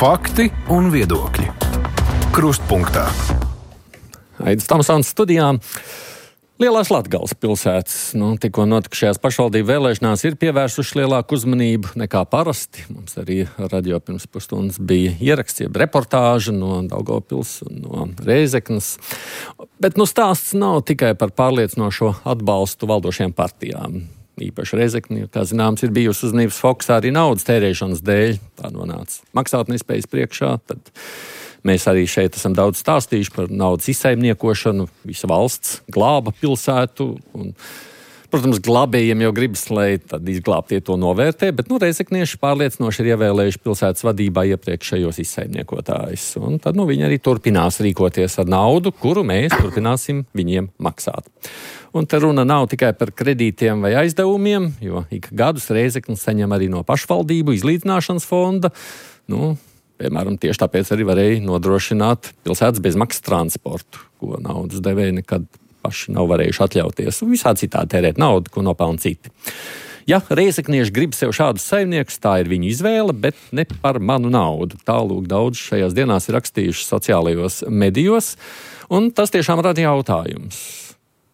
Fakti un viedokļi. Krustpunktā. Aidis Tamsons studijā. Lielās Latgales pilsētas tikko notikušajās pašvaldību vēlēšanās ir pievērsuši lielāku uzmanību nekā parasti. Mums arī radio pirms pusstundas bija ieraksts, jeb reportāža no Daugavpils un no Rēzeknes. Bet stāsts nav tikai par pārliecinošo atbalstu valdošajām partijām. Īpaši Rēzekne, kā zināms, ir bijusi uzmanības fokusā arī naudas tērēšanas dēļ. Tā nonāca maksātnespējas priekšā. Tad mēs arī šeit esam daudz stāstījuši par naudas izsaimniekošanu. Visa valsts glāba pilsētu. Un, protams, glābējiem jau gribas, lai tad izglābtie to novērtē, bet rēzeknieši pārliecinoši ir ievēlējuši pilsētas vadībā iepriekšējos izsaimniekotājus. Un tad viņi arī turpinās rīkoties ar naudu, kuru mēs turpināsim viņiem maksāt. Un te runa nav tikai par kredītiem vai aizdevumiem, jo ik gadus Rēzekne saņem arī no pašvaldību izlīdzināšanas fonda. Piemēram, tieši tāpēc arī varēja nodrošināt pilsētas bezmaksas transportu, ko naudas devēji nekad paši nav varējuši atļauties. Un visādi citādi tērēt naudu, ko nopelna citi. Ja rēzeknieši grib sev šādus saimniekus, tā ir viņu izvēle, bet ne par manu naudu. Tālūk daudz šajās dienās ir rakstījuši sociālajos medijos, un tas tiešām rada jautājums.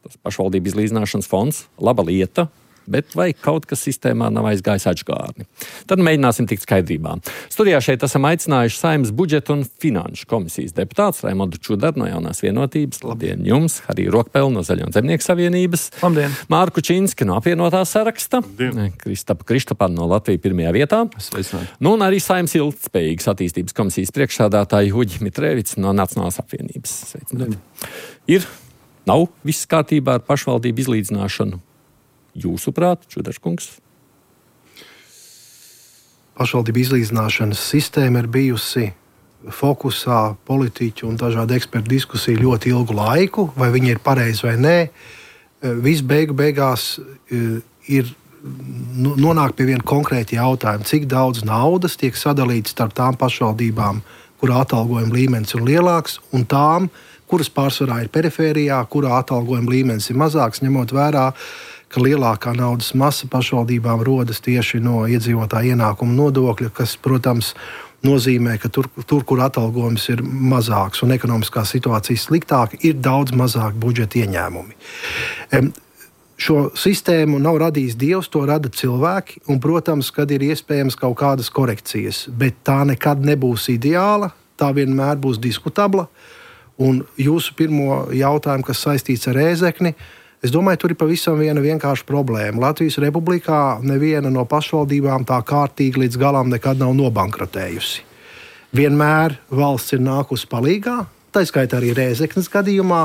Tas pašvaldību izlīdzināšanas fonds, laba lieta, bet vai kaut kas sistēmā nav aizgājis atžgārni? Tad mēģināsim tikt skaidrībā. Studijā šeit esam aicinājuši Saeimas budžeta un finanšu komisijas deputāts Raimondu Čudaru no Jaunās vienotības. Labdien jums! Arī Rokpeli no Zaļo un Zemnieku savienības. Labdien! Mārku Činski no apvienotā saraksta. Labdien! Kristapa Krištapāna no Latvijas pirmajā vietā. Un arī Saeimas ilgtspējīgas attīstības komisijas priekšsādātāja Uģi Mitrēvics no Nacionālās apvienības. Sveicināti! Nav viss kārtībā ar pašvaldību izlīdzināšanu? Jūsuprāt, Čudarskungs? Pašvaldību izlīdzināšanas sistēma ir bijusi fokusā politiķu un dažādu ekspertu diskusiju ļoti ilgu laiku, vai viņi ir pareizi vai nē. Viss beigās ir nonāk pie viena konkrēta jautājuma, cik daudz naudas tiek sadalīts starp tām pašvaldībām, kurā atalgojuma līmenis ir lielāks, un tām, kuras pārsvarā ir perifērijā, kurā atalgojuma līmenis ir mazāks, ņemot vērā, ka lielākā naudas masa pašvaldībām rodas tieši no iedzīvotāja ienākuma nodokļa, kas, protams, nozīmē, ka tur, kur atalgojums ir mazāks un ekonomiskā situācija sliktāka, ir daudz mazāk budžeta ieņēmumi. Šo sistēmu nav radījis Dievs, to rada cilvēki, un, protams, kad ir iespējams kaut kādas korekcijas, bet tā nekad nebūs ideāla, tā vienmēr būs diskutabla. Un jūsu pirmo jautājumu, kas saistīts ar Rēzekni, es domāju, tur ir pavisam viena vienkārša problēma. Latvijas Republikā neviena no pašvaldībām tā kārtīgi līdz galam nekad nav nobankrotējusi. Vienmēr valsts ir nākusi palīgā, tā skaitā arī Rēzeknes gadījumā,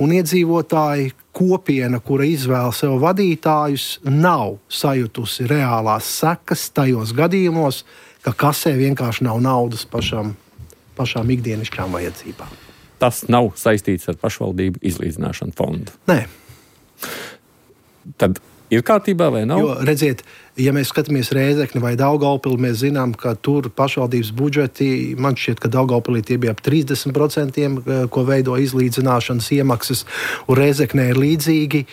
un iedzīvotāji kopiena, kura izvēl sev vadītājus, nav sajutusi reālās sekas tajos gadījumos, ka kasē vienkārši nav naudas pašām ikdienišķām vajadzībām. Tas nav saistīts ar pašvaldību izlīdzināšanu fondu. Nē. Tad ir kārtībā vai nav? Jo, redziet, ja mēs skatāmies Rēzekni vai Daugavpili, mēs zinām, ka tur pašvaldības budžeti, man šķiet, ka Daugavpilī tie bija ap 30%, ko veido izlīdzināšanas iemaksas, un Rēzeknē ir līdzīgi.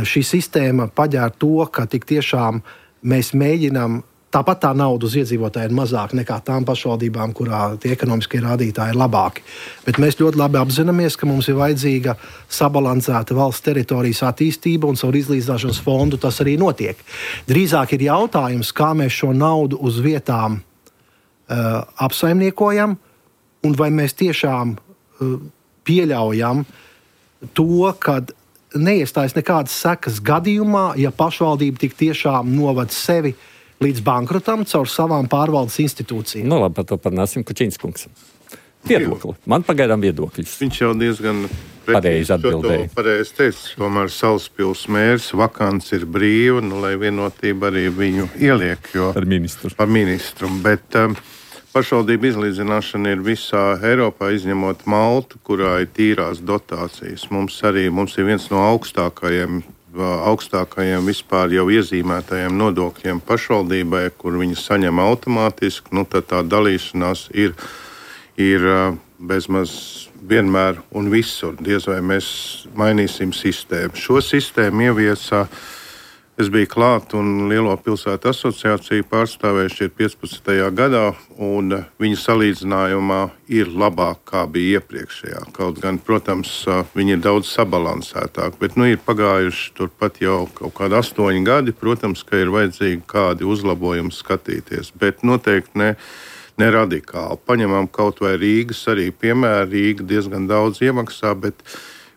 Šī sistēma paģēr to, ka tik tiešām mēs mēģinām. Tāpat tā nauda uz iedzīvotāju ir mazāka nekā tām pašvaldībām, kurā tie ekonomiskie rādītāji ir labāki. Bet mēs ļoti labi apzināmies, ka mums ir vajadzīga sabalansēta valsts teritorijas attīstība, un caur izlīdzināšanas fondu tas arī notiek. Drīzāk ir jautājums, kā mēs šo naudu uz vietām apsaimniekojam, un vai mēs tiešām pieļaujam to, ka neiestājas nekādas sekas gadījumā, ja pašvaldība tik tiešām novad sevi līdz bankrotam caur savām pārvaldes institūcijām. Labi, par to parunāsim, Kučinskungs. Viedokli. Man pagaidām viedokļus. Viņš jau diezgan pareizi atbildēja. Pareizi teica, tomēr Salaspils mērs, vakants ir brīva, lai vienotība arī viņu ieliek. Par ministru. Par ministru, bet pašvaldība izlīdzināšana ir visā Eiropā, izņemot Maltu, kurā ir tīrās dotācijas. Mums ir viens no augstākajiem vispār jau iezīmētajiem nodokļiem pašvaldībai, kur viņi saņem automātiski, tad tā dalīšanās ir bezmaz vienmēr un visur. Diez vai mēs mainīsim sistēmu. Šo sistēmu ieviesa Es biju klāt un Lielo pilsētu asociāciju pārstāvējuši 15. gadā, un viņa salīdzinājumā ir labāk, kā bija iepriekšējā. Kaut gan, protams, viņi ir daudz sabalansētāk, bet ir pagājuši turpat jau kaut kādi 8 gadi. Protams, ka ir vajadzīgi kādi uzlabojumi skatīties, bet noteikti ne radikāli. Paņemam kaut vai Rīgas arī piemēru. Rīga diezgan daudz iemaksā, bet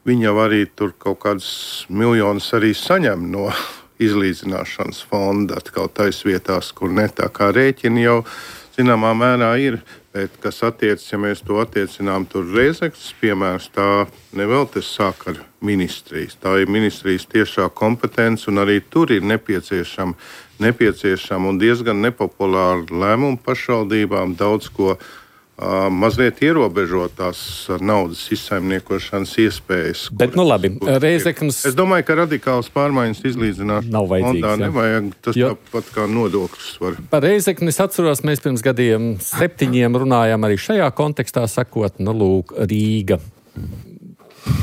viņi jau arī tur kaut kādus miljonus arī saņem no izlīdzināšanas fonda atkal tais vietās, kur ne, tā kā rēķini jau zināmā mērā ir, bet kas attiecas, ja mēs to attiecinām tur Rēzeknes piemērs, tā nevēl te sāk ar ministrijas. Tā ir ministrijas tiešā kompetence, un arī tur ir nepieciešama un diezgan nepopulāra lēmuma pašvaldībām daudz ko mazliet ierobežotās naudas izsaimniekošanas iespējas. Bet, labi, Rēzeknes... Es domāju, ka radikāls pārmaiņas izlīdzināt nav vajadzīgs. Nevajag, tas tāpat kā nodokļus var. Par Rēzekni es atceros, mēs pirms gadiem 7 runājām arī šajā kontekstā, sakot, lūk, Rīga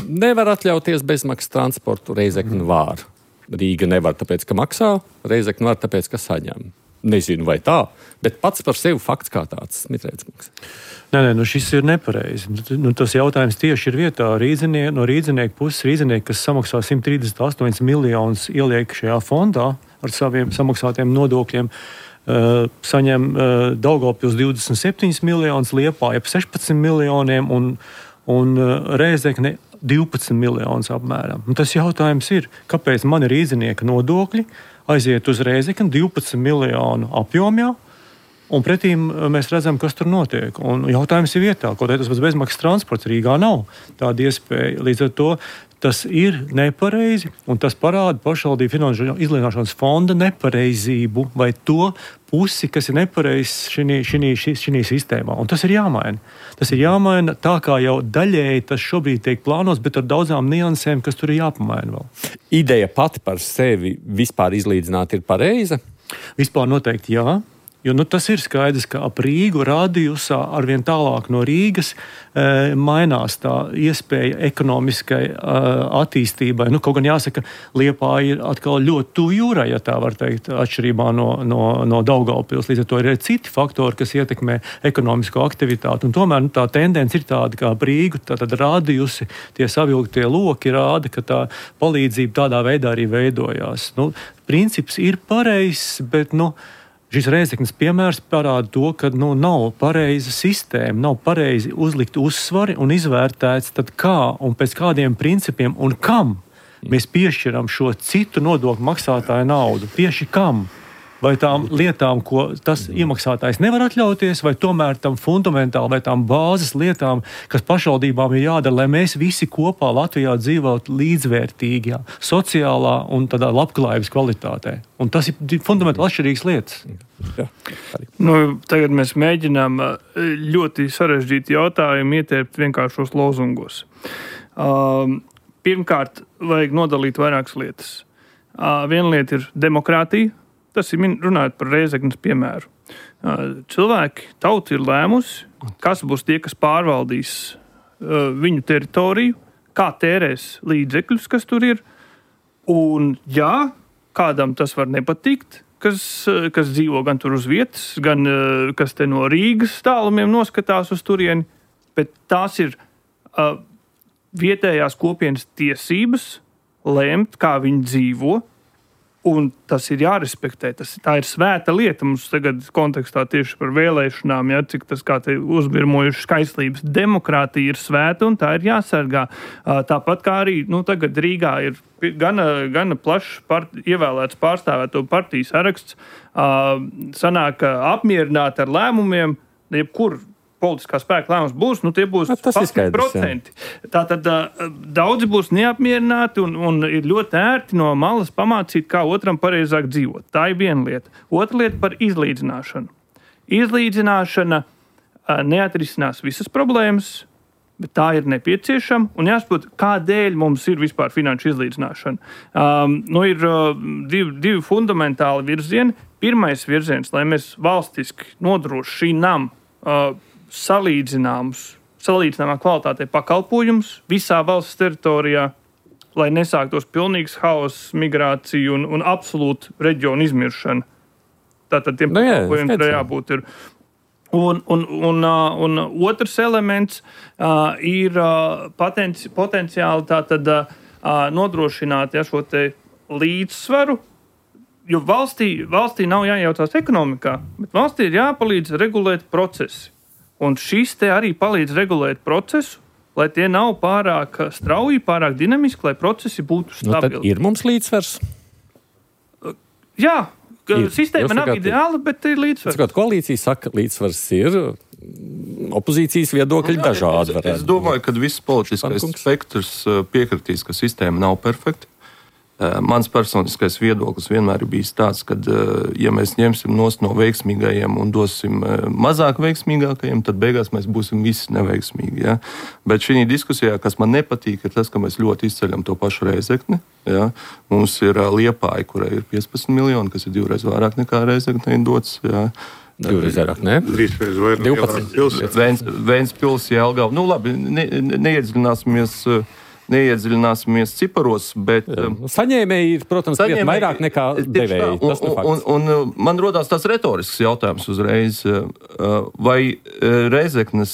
nevar atļauties bezmaksas transportu, Rēzekni var. Rīga nevar tāpēc, ka maksā, Rēzekni var tāpēc, ka saņem. Nezinu, vai tā, bet pats par sevi fakts kā tāds. Smitrēdz. Nē, šis ir nepareizi. Tas jautājums tieši ir vietā. No rīdzinieku puses, rīdzinieki, kas samaksā 138 miljonus, ieliek šajā fondā ar saviem samaksātiem nodokļiem, saņem Daugavpils 27 miljonus, Liepāja ap 16 miljoniem un Rēzekne 12 miljonus apmēram. Tas jautājums ir, kāpēc mani rīdzinieka nodokļi aiziet uz Rēzekni 12 miljonu apjomā, un pretīm mēs redzam, kas tur notiek. Un jautājums ir vietā, kaut arī tas pats bezmaksas transports Rīgā nav tāda iespēja. Līdz ar to tas ir nepareizi, un tas parāda pašvaldību finanšu izlīdzināšanas fonda nepareizību vai to pusi, kas ir nepareizs šī sistēmā. Un tas ir jāmaina. Tas ir jāmaina tā, kā jau daļēji tas šobrīd tiek plānos, bet ar daudzām niansēm, kas tur ir jāpamaina vēl. Ideja pati par sevi vispār izlīdzināt ir pareiza? Vispār noteikti jā. Jo tas ir skaidrs, ka ap Rīgu radiusā arvien tālāk no Rīgas mainās tā iespēja ekonomiskai attīstībai. Kaut gan jāsaka, Liepāja ir atkal ļoti tuvu jūrai, ja tā var teikt, atšķirībā no Daugavpils. Līdz ar to ir citi faktori, kas ietekmē ekonomisko aktivitāti. Un tomēr tā tendence ir tāda, kā ap Rīgu, tātad radiusi, tie savilktie loki rāda, ka tā palīdzība tādā veidā arī veidojās. Princips ir pareizs, bet šis Rēzeknes piemērs parāda to, ka nav pareiza sistēma, nav pareizi uzlikt uzsvari un izvērtēts, tad kā un pēc kādiem principiem un kam mēs piešķiram šo citu nodokļu maksātāju naudu. Tieši kam? Vai tām lietām, ko tas iemaksātājs nevar atļauties, vai tomēr tam fundamentāli, vai tām bāzes lietām, kas pašvaldībām ir jādara, lai mēs visi kopā Latvijā dzīvotu līdzvērtīgā, sociālā un tādā labklājības kvalitātē. Un tas ir fundamentāli atšķirīgas lietas. Jā. Tagad mēs mēģinām ļoti sarežģītu jautājumu ietērpt vienkāršos lozungos. Pirmkārt, vajag nodalīt vairākas lietas. Viena lieta ir demokrātija. Tas ir runājot par Rēzeknes piemēru. Cilvēki, tauta ir lēmusi, kas būs tie, kas pārvaldīs viņu teritoriju, kā tērēs līdzekļus, kas tur ir. Un jā, kādam tas var nepatikt, kas dzīvo gan tur uz vietas, gan kas te no Rīgas tālumiem noskatās uz turieni, bet tās ir vietējās kopienas tiesības lemt, kā viņi dzīvo. Un tas ir jārespektē. Tā ir svēta lieta mums tagad kontekstā tieši par vēlēšanām, cik tas kā te uzbirmojuši skaistlības. Demokrātija ir svēta un tā ir jāsargā. Tāpat kā arī tagad Rīgā ir gana plašs ievēlēts pārstāvēto partiju saraksts. Sanāk apmierināt ar lēmumiem, jebkur politiskā spēka lēmums būs, tie būs 10%. Tātad daudzi būs neapmierināti un ir ļoti ērti no malas pamācīt, kā otram pareizāk dzīvot. Tā ir viena lieta. Otra lieta par izlīdzināšanu. Izlīdzināšana neatrisinās visas problēmas, bet tā ir nepieciešama un jāsaprot, kādēļ mums ir vispār finanšu izlīdzināšana. Ir divi fundamentāli virzieni. Pirmais virziens, lai mēs valstiski nodrošinām salīdzināmā kvalitātei pakalpojumus visā valsts teritorijā. lai nesāktos pilnīgs haoss, migrācija un absolūta reģiona izmiršana. Tātad tiem pakalpojumiem tur jābūt ir. Un otrs elements ir potenciāli tātad nodrošināt šo te līdzsvaru, jo valstī nav jājaucās ekonomikā, bet valstī ir jāpalīdz regulēt procesi. Un šis te arī palīdz regulēt procesu, lai tie nav pārāk strauji, pārāk dinamiski, lai procesi būtu stabili. Tad ir mums līdzsvars? Jā. Sistēma nav ideāla, bet ir līdzsvars. Koalīcija saka, līdzsvars ir, opozīcijas viedokļi dažādi. Es domāju, ka viss politiskais spektrs piekritīs, ka sistēma nav perfekta. Mans personiskais viedoklis vienmēr ir bijis tāds, ka, ja mēs ņemsim nost no veiksmīgajiem un dosim mazāk veiksmīgākajiem, tad beigās mēs būsim visi neveiksmīgi. Ja? Bet šī diskusijā, kas man nepatīk, ir tas, ka mēs ļoti izceļam to pašu Rēzekni. Ja? Mums ir Liepāja, kurai ir 15 miljoni, kas ir 2 reizes vairāk nekā Rēzeknei dots. Ja? 2 reizes vairāk, ne? 3 reizes vairāk. 12. Ventspils, Jelgava. Nu labi, neiedziļināsimies ciparos, bet... Saņēmēji ir, protams, krietni vairāk nekā devēji. Tas nu fakts. Un man rodās tāds retorisks jautājums uzreiz. Vai Rēzeknes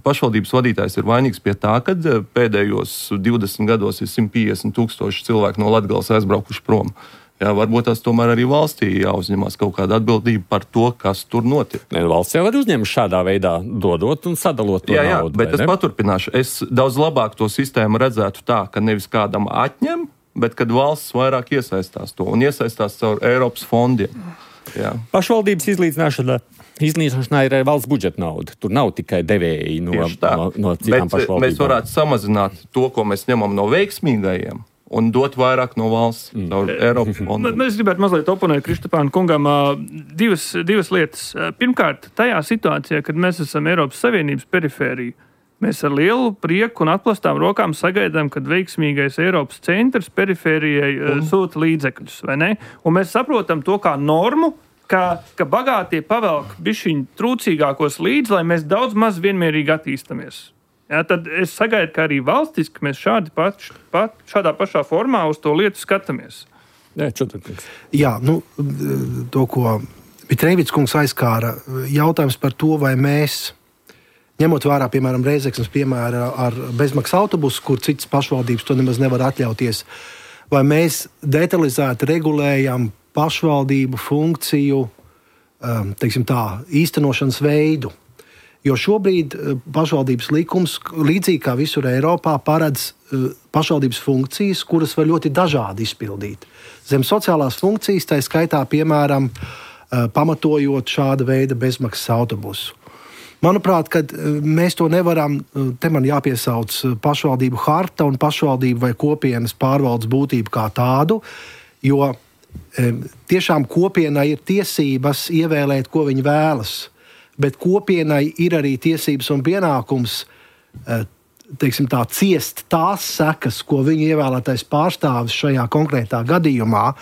pašvaldības vadītājs ir vainīgs pie tā, kad pēdējos 20 gados ir 150,000 cilvēku no Latgales aizbraukuši prom? Jā, varbūt tas tomēr arī valstī jāuzņemās kaut kāda atbildība par to, kas tur notiek. Valsts jau var uzņemt šādā veidā, dodot un sadalot to naudu. Bet es paturpināšu. Es daudz labāk to sistēmu redzētu tā, ka nevis kādam atņem, bet kad valsts vairāk iesaistās to un iesaistās caur Eiropas fondiem. Jā. Pašvaldības iznīcināšanā ir valsts budžeta nauda. Tur nav tikai devēji no citām pašvaldībām. Mēs varētu samazināt to, ko mēs ņemam no veiksmīgajiem, un dot vairāk no valsts caur Eiropas fondiem. Es gribētu mazliet oponēt Kristapāna kungam divas lietas. Pirmkārt, tajā situācijā, kad mēs esam Eiropas Savienības perifērija, mēs ar lielu prieku un atplastām rokām sagaidām, kad veiksmīgais Eiropas centrs perifērijai sūta līdzekļus, vai ne? Un mēs saprotam to kā normu, ka bagātie pavelk bišķiņ trūcīgākos līdz, lai mēs daudz maz vienmērīgi attīstamies. Jā, tad es sagaidu, ka arī valstiski mēs šādā pašā formā uz to lietu skatāmies. Jā, to, ko Mitrēvits kungs aizkāra, jautājums par to, vai mēs, ņemot vērā, piemēram, Rēzeknes piemēra ar bezmaksas autobusu, kur citas pašvaldības to nemaz nevar atļauties, vai mēs detalizēti regulējam pašvaldību funkciju, teiksim tā, īstenošanas veidu. Jo šobrīd pašvaldības likums, līdzīgi kā visur Eiropā, paredz pašvaldības funkcijas, kuras var ļoti dažādi izpildīt. Zem sociālās funkcijas, tā skaitā, piemēram, pamatojot šāda veida bezmaksas autobusu. Manuprāt, kad mēs to nevaram, te man jāpiesauc pašvaldību harta un pašvaldību vai kopienas pārvaldes būtību kā tādu, jo tiešām kopienai ir tiesības ievēlēt, ko viņi vēlas. Bet kopienai ir arī tiesības un pienākums, teiksim tā, ciest tās sekas, ko viņa ievēlētais pārstāvis šajā konkrētā gadījumā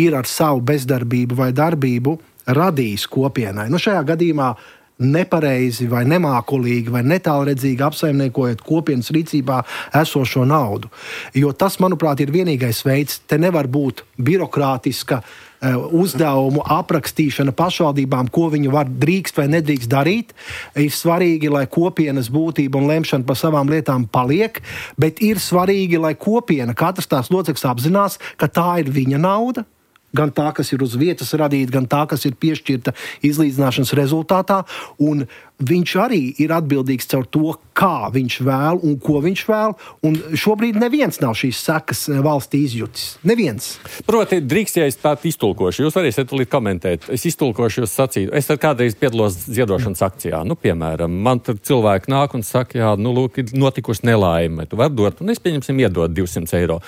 ir ar savu bezdarbību vai darbību radījis kopienai. Šajā gadījumā nepareizi vai nemākulīgi vai netālredzīgi apsaimniekojot kopienas rīcībā esošo naudu. Jo tas, manuprāt, ir vienīgais veids. Te nevar būt birokrātiska uzdevumu aprakstīšana pašvaldībām, ko viņi drīkst vai nedrīkst darīt. Ir svarīgi, lai kopienas būtība un lemšana par savām lietām paliek, bet ir svarīgi, lai kopiena, katrs tās loceklis apzinās, ka tā ir viņa nauda, gan tā, kas ir uz vietas radīta, gan tā, kas ir piešķirta izlīdzināšanas rezultātā, un viņš arī ir atbildīgs caur to, kā viņš vēl un ko viņš vēl, un šobrīd neviens nav šīs sekas valstī izjutis. Neviens. Proti, drīkst, ja es tādu iztulkošu, jūs varēsiet tulīt komentēt, es iztulkošu jūs sacītu, es tad kādreiz piedalos ziedošanas akcijā, piemēram, man tur cilvēki nāk un saka, jā, lūk, ir notikusi nelaime, tu vari dot, un es pieņemsim iedot 200 eiro.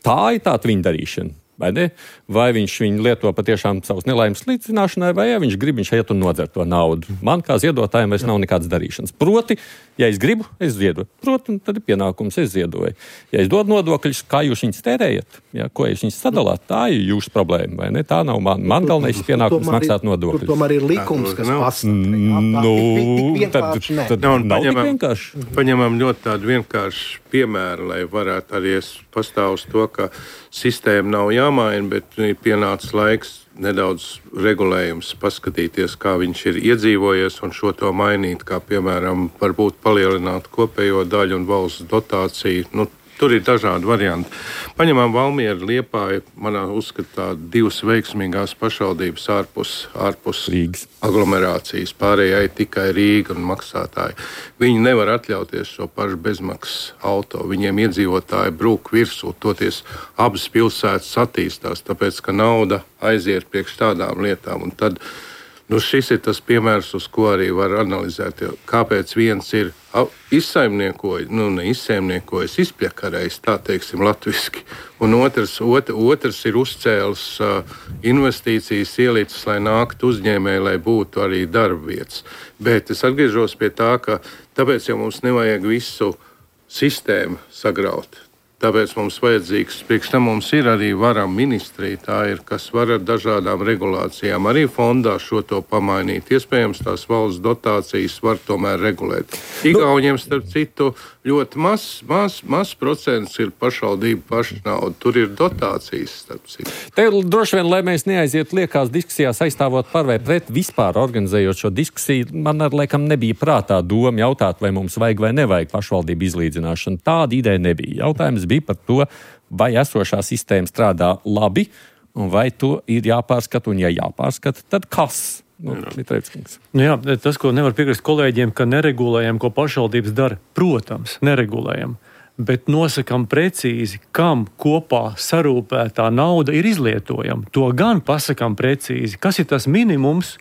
Tā ir tāda viņa darīšana. vai ne? Vai viņš viņu lieto patiešām savas nelaimes līdzināšanai, vai ja viņš grib, viņš iet un nodzer to naudu. Man kā ziedotājiem vairs nav nekādas darīšanas. Proti, ja es gribu, es ziedoju. Proti, tad ir pienākums, es ziedoju. Ja es dodu nodokļus, kā jūs viņus tērējat, ja, ko jūs viņus sadalāt, tā ir jūsu problēma, vai ne? Tā nav man galvenais pienākums maksāt nodokļus. Tur tomēr ir likums, kas pasaka. Paņemam ļoti tādu vienkāršu piemēru, lai varētu arī pastāv uz to, ka sistēma nav jāmaina, bet ir pienācis laiks nedaudz regulējums, paskatīties, kā viņš ir iedzīvojies un šo to mainīt, kā piemēram varbūt palielināt kopējo daļu un valsts dotāciju. Tur ir dažādi varianti. Paņemam Valmieru, Liepāju, manā uzskatā divas veiksmīgās pašvaldības ārpus Rīgas aglomerācijas, pārējai tikai Rīga un maksātāji. Viņi nevar atļauties šo pašu bezmaksas auto. Viņiem iedzīvotāji brūk virsū, toties abas pilsētas attīstās, tāpēc, ka nauda aiziet priekš tādām lietām. Un tad šis ir tas piemērs, uz ko arī var analizēt, kāpēc viens ir izsaimniekojis, izpļakarējis, tā teiksim, latviski, un otrs ir uzcēlis investīcijas, ielicis, lai nāktu uzņēmēji, lai būtu arī darbvietas. Bet es atgriežos pie tā, ka tāpēc jau mums nevajag visu sistēmu sagraut. Tāpēc mums vajadzīgs, priekš tam mums ir arī varam ministrija, tā ir, kas var ar dažādām regulācijām arī fondā šo to pamainīt. Iespējams, tās valsts dotācijas var tomēr regulēt. Igauniem, starp citu, ļoti maz procents ir pašvaldību paša nauda. Tur ir dotācijas, starp citu. Te droši vien, lai mēs neaizietu liekās diskusijās aizstāvot par vai pret vispār organizējot šo diskusiju, man ar laikam nebija prātā doma jautāt, vai mums vajag vai nevajag pašvaldību izlīdzināšanu. Tāda ideja nebija. Jautājums bija par to, vai esošā sistēma strādā labi, un vai to ir jāpārskata, un ja jāpārskata, tad kas? Tas, ko nevar piekrist kolēģiem, ka neregulējam, ko pašvaldības dara, protams, neregulējam, bet nosakam precīzi, kam kopā sarūpētā nauda ir izlietojama. To gan pasakam precīzi, kas ir tas minimums,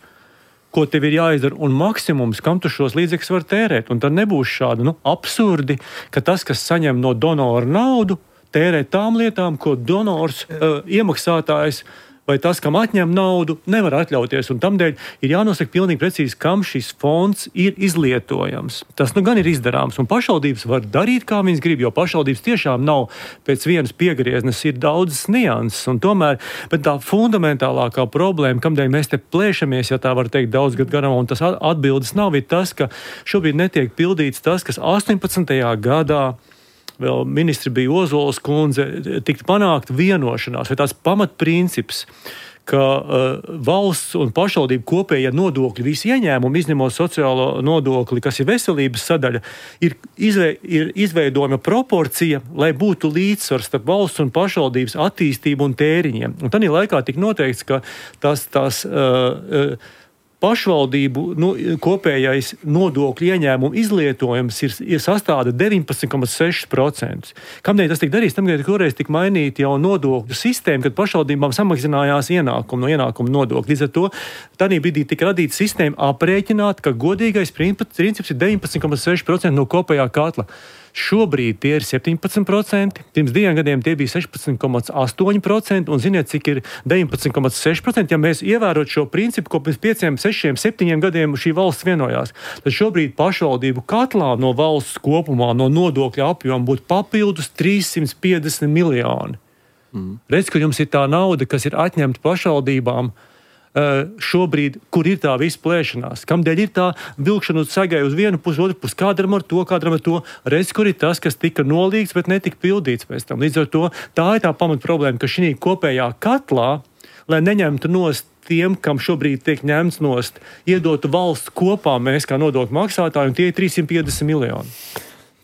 ko tev ir jāizdara, un maksimums, kam tu šos līdzekļus var tērēt. Un tad nebūs šādi absurdi, ka tas, kas saņem no donora naudu, tērē tām lietām, ko donors, iemaksātājs vai tas, kam atņem naudu, nevar atļauties. Un tamdēļ ir jānosaka pilnīgi precīzi, kam šis fonds ir izlietojams. Tas gan ir izdarāms, un pašvaldības var darīt, kā viņas grib, jo pašvaldības tiešām nav pēc vienas piegrieznes, ir daudzas nianses. Un tomēr, bet tā fundamentālākā problēma, kamdēļ mēs te plēšamies, ja tā var teikt, daudz gadu garumā, un tas atbildes nav, ir tas, ka šobrīd netiek pildīts tas, kas 18. gadā vēl ministri bija Ozols kundze, tikt panākt vienošanās, vai tās pamatprincips, ka valsts un pašvaldību kopējie nodokļi, visi ieņēmumi, izņemot sociālo nodokli, kas ir veselības sadaļa, ir izveidojama proporcija, lai būtu līdzsvars starp valsts un pašvaldības attīstību un tēriņiem. Un tādā laikā tika noteikts, ka tās pašvaldību kopējais nodokļu ieņēmumu izlietojums ir sastāda 19,6%. Kamdēļ tas tika darīts? Tamdēļ toreiz tika mainīta jau nodokļu sistēma, kad pašvaldībām samazinājās ienākumu no ienākuma nodokļa. Līdz ar to tādā brīdī tika radīta sistēma aprēķināt, ka godīgais princips ir 19,6% no kopējā katla. Šobrīd tie ir 17%, pirms 2 gadiem tie bija 16,8%, un ziniet, cik ir 19,6%, ja mēs ievērot šo principu, ko pirms 5, 6, 7 gadiem šī valsts vienojās. Tad šobrīd pašvaldību katlā no valsts kopumā no nodokļa apjoma būtu papildus 350 miljoni. Redz, ka jums ir tā nauda, kas ir atņemta pašvaldībām, šobrīd, kur ir tā visa plēšanās, kamdēļ ir tā vilkšana uz sagai uz vienu pusi, otru pusi, kādam ar to, redz, kur ir tas, kas tika nolīgts, bet netika pildīts pēc tam. Līdz ar to tā ir tā pamat problēma, ka šī kopējā katlā, lai neņemtu nost tiem, kam šobrīd tiek ņemts nost, iedotu valsts kopā mēs kā nodokļu maksātāji, un tie ir 350 miljoni.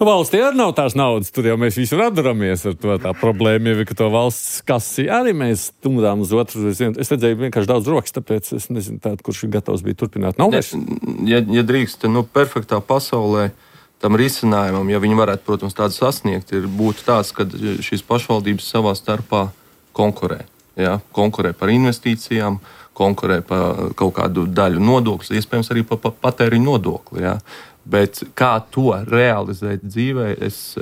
Valstī arī nav tās naudas, tur jau mēs visi radaramies ar to. Tā problēma jau ir, ka to valsts kasi arī mēs stumdām uz otru. Es redzēju vienkārši daudz rokas, tāpēc es nezinu tādu, kurš ir gatavs bija turpināt. Nav vairs? Ja drīkst, perfektā pasaulē tam risinājumam, ja viņi varētu, protams, tādu sasniegt, būtu tāds, ka šīs pašvaldības savā starpā konkurē. Ja? Konkurē par investīcijām, konkurē par kaut kādu daļu nodokļus, iespējams arī par patēriņu nodokli. Ja? Bet kā to realizēt dzīvē, es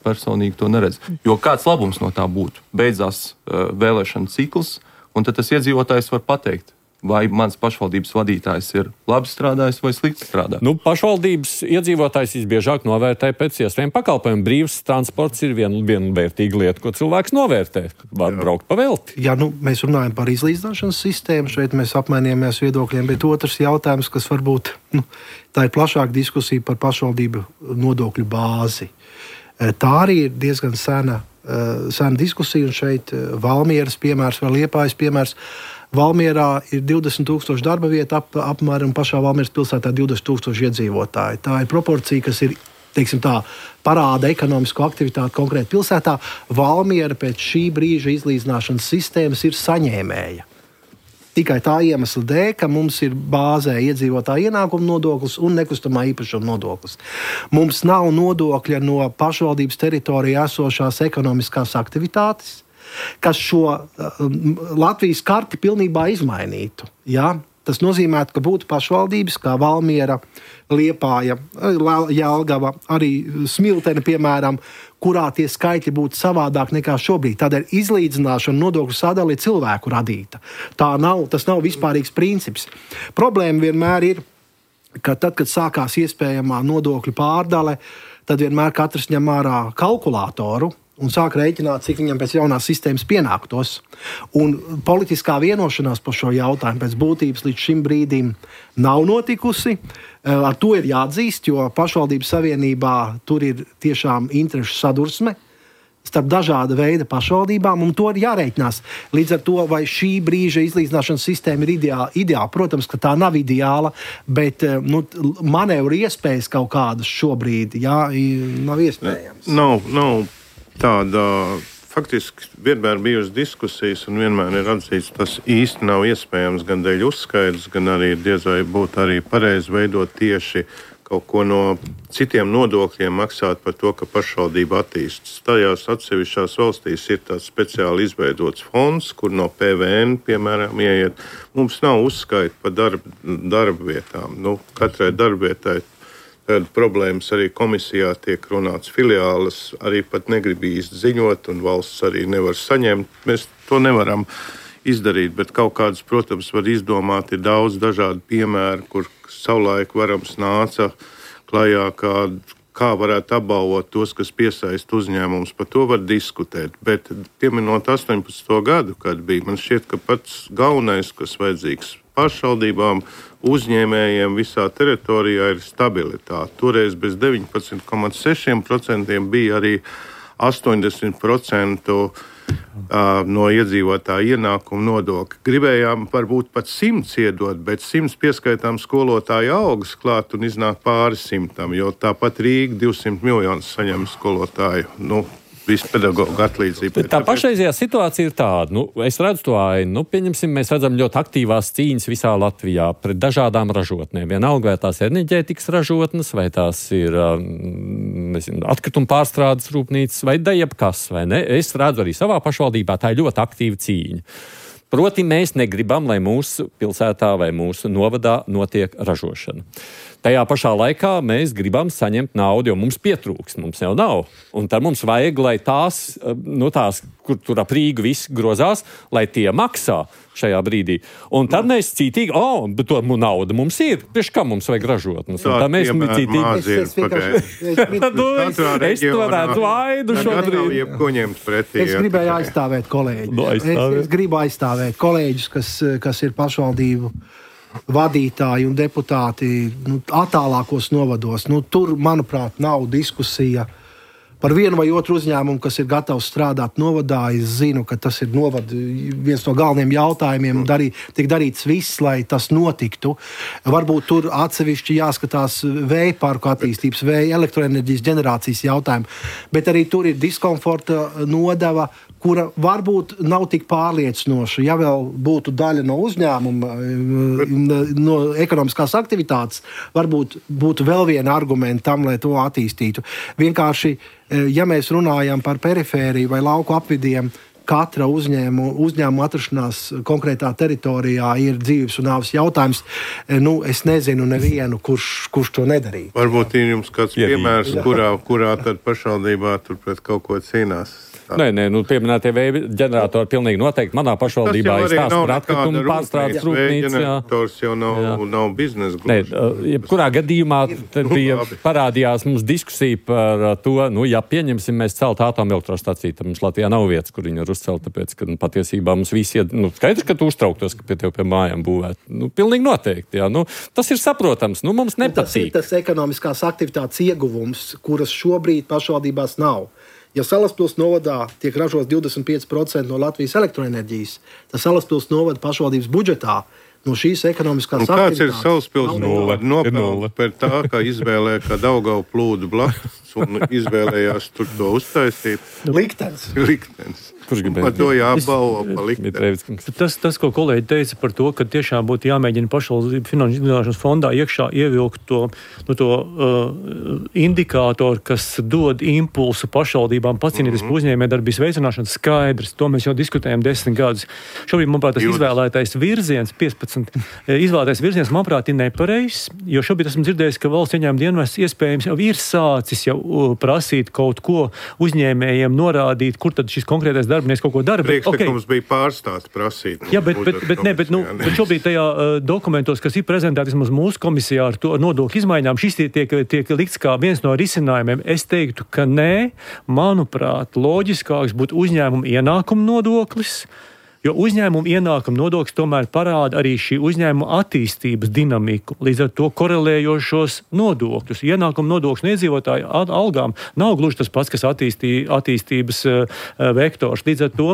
personīgi to neredzu. Jo kāds labums no tā būtu? Beidzās vēlēšana cikls, un tad tas iedzīvotājs var pateikt, vai mans pašvaldības vadītājs ir labi strādājis vai slikti strādājis. Pašvaldības iedzīvotājs visbiežāk novērtē pēc iespējām pakalpojumu. Brīvs transports ir viena vērtīga lieta, ko cilvēks novērtē. Var braukt pa velti. Jā, mēs runājam par izlīdzināšanas sistēmu. Šeit mēs apmainījāmies viedokļiem, bet otrs jautājums, kas varbūt tā ir plašāka diskusija par pašvaldību nodokļu bāzi. Tā arī ir diezgan sena diskusija, un šeit Valmieras piemērs vai Liepājas piemērs. Valmierā ir 20,000 darba vieta, apmēram pašā Valmieras pilsētā 20,000 iedzīvotāji. Tā ir proporcija, kas ir, teiksim tā, parāda ekonomisko aktivitāti konkrēti pilsētā. Valmiera pēc šī brīža izlīdzināšanas sistēmas ir saņēmēja. Tikai tā iemesla dēļ, ka mums ir bāzē iedzīvotāja ienākuma nodoklis un nekustamā īpašuma nodoklis. Mums nav nodokļa no pašvaldības teritorijā esošās ekonomiskās aktivitātes, kas šo Latvijas karti pilnībā izmainītu. Ja? Tas nozīmē, ka būtu pašvaldības kā Valmiera, Liepāja, Jelgava, arī Smiltene, piemēram, kurā tie skaitļi būtu savādāk nekā šobrīd. Tādēļ izlīdzināšana nodokļu sadali ir cilvēku radīta. Tas nav vispārīgs princips. Problēma vienmēr ir, ka tad, kad sākās iespējamā nodokļu pārdale, tad vienmēr katrs ņem ārā kalkulātoru un sāk rēķināt, cik viņam pēc jaunās sistēmas pienāktos. Un politiskā vienošanās par šo jautājumu pēc būtības līdz šim brīdim nav notikusi. Ar to ir jāatzīst, jo pašvaldības savienībā tur ir tiešām interešu sadursme starp dažāda veida pašvaldībām, un to ir jārēķinās. Līdz ar to, vai šī brīža izlīdzināšanas sistēma ir ideāla. Protams, ka tā nav ideāla, bet manevru iespējas kaut kādas šobrīd nav iespējams. Nav tāda, faktiski vienmēr bijusi diskusijas, un vienmēr ir atzīts, tas īsti nav iespējams gan dēļ uzskaidrs, gan arī diez vai būtu arī pareizi veidot tieši kaut ko no citiem nodokļiem maksāt par to, ka pašvaldība attīstas. Tajās atsevišķās valstīs ir tāds speciāli izveidots fonds, kur no PVN, piemēram, ieiet. Mums nav uzskaita par darba vietām. Katrai darbvietai tad problēmas arī komisijā tiek runāts, filiāles arī pat negrib īsti ziņot, un valsts arī nevar saņemt. Mēs to nevaram izdarīt, bet kaut kādas, protams, var izdomāt. Ir daudz dažādu piemēru, kur savulaik varams nāca klajā, kā varētu apbalvot tos, kas piesaista uzņēmumus. Par to var diskutēt, bet pieminot 18. gadu, kad bija, man šķiet, ka pats galvenais, kas vajadzīgs pašvaldībām, uzņēmējiem visā teritorijā ir stabilitāte. Toreiz bez 19,6% bija arī 80% no iedzīvotāja ienākuma nodokļa. Gribējām varbūt pat 100 iedot, bet 100 pieskaitām skolotāju algas klāt un iznāk pāri 100, jo tāpat Rīga 200 miljonus saņem skolotāju. Visu pedagoģu atlīdzību. Tā pašreizējā situācija ir tāda. Es redzu to ainu. Pieņemsim, mēs redzam ļoti aktīvās cīņas visā Latvijā pret dažādām ražotnēm. Vienalga, vai tās ir enerģētikas ražotnes, vai tās ir atkrituma pārstrādes rūpnīcas, vai jebkas, vai ne. Es redzu arī savā pašvaldībā, tā ir ļoti aktīva cīņa. Proti, mēs negribam, lai mūsu pilsētā vai mūsu novadā notiek ražošana. Tajā pašā laikā mēs gribam saņemt naudu, jo mums pietrūks, mums jau nav. Un tad mums vajag, lai tās, kur tur ap Rīgu viss grozās, lai tie maksā šajā brīdī. Un tad mēs cītīgi, bet to nauda mums ir, priekš kā mums vajag ražotnes. Un tad mēs Es to redzu aidu šobrīd. Es gribēju aizstāvēt kolēģus. Es gribu aizstāvēt kolēģus, kas ir pašvaldību vadītāji un deputāti attālākos novados. Tur, manuprāt, nav diskusija par vienu vai otru uzņēmumu, kas ir gatavs strādāt novadā. Es zinu, ka tas ir viens no galvenajiem jautājumiem. Tiek darīts viss, lai tas notiktu. Varbūt tur atsevišķi jāskatās vēja parku attīstības, vēja elektroenerģijas ģenerācijas jautājumu. Bet arī tur ir diskomforta nodeva, kura varbūt nav tik pārliecinoša. Ja vēl būtu daļa no uzņēmuma, no ekonomiskās aktivitātes, varbūt būtu vēl viena argumenta tam, lai to attīstītu. Vienkārši, ja mēs runājam par perifēriju vai lauku apvidiem, katra uzņēmuma atrašanās konkrētā teritorijā ir dzīves un nāves jautājums. Es nezinu nevienu, kurš to nedarīja. Varbūt ir jums kāds piemērs, kurā tad pašvaldībā tur pret kaut ko cīnās. Nē, pieminētie vēja ģeneratori pilnīgi noteikti. Manā pašvaldībā ir stāsts par atkritumu pārstrādes rūpnīcu. Ģenerators jau nav biznesa gluži. Jebkurā gadījumā parādījās mums diskusija par to, ja pieņemsim mēs celt atomelektrostaciju, tad mums Latvijā nav vietas, kur viņi ir uzcelt, tāpēc, ka patiesībā mums visi skaidrs, ka tu uztrauktos, ka pie mājām būvēt. Pilnīgi noteikti, jā. Tas ir saprotams, mums nepatīk. Tas ir tas ekonomiskās aktivitātes ieguvums, kuras šobrīd pašvaldībās nav. Ja Salaspils novadā tiek ražots 25% no Latvijas elektroenerģijas, tad Salaspils novada pašvaldības budžetā no šīs ekonomiskās aktivitātes. Kāds ir Salaspils novada nopelns par tā, ka izvēlē, ka Daugava plūdu blakus un izvēlējās tur to uztaisīt? Liktenis. Kurš gribēja? Par to jābalvo pa likteni. Tas, ko kolēģi teica par to, ka tiešām būtu jāmēģina pašvaldību finanšu izglītošanas fondā iekšā ievilkt to indikātoru, kas dod impulsu pašvaldībām pacīnīties par uzņēmējdarbības veicināšanu, skaidrs. To mēs jau diskutējam 10 gadus. Šobrīd, manuprāt, tas izvēlētais virziens, 15, izvēlētais virziens, manuprāt, ir nepareizs, jo šobrīd esmu dzirdējis, ka valsts ieņēmuma dienests iespējams jau ir sācis prasīt kaut ko uzņēmējiem, norādīt, kur tad šis konkrētais darbinieks kaut ko dara. Priekšlikums bija pārstāst prasīt. Jā, bet šobrīd tajā dokumentos, kas ir prezentēti vismaz mūsu komisijā ar to nodokļu izmaiņām, šis tiek likts kā viens no risinājumiem. Es teiktu, ka nē, manuprāt, loģiskāks būtu uzņēmuma ienākuma nodoklis, jo uzņēmuma ienākuma nodoklis tomēr parāda arī šī uzņēmuma attīstības dinamiku, līdz ar to korelējošos nodokļus. Ienākuma nodoklis no iedzīvotāju algām nav gluži tas pats, kas attīstības vektors. Līdz ar to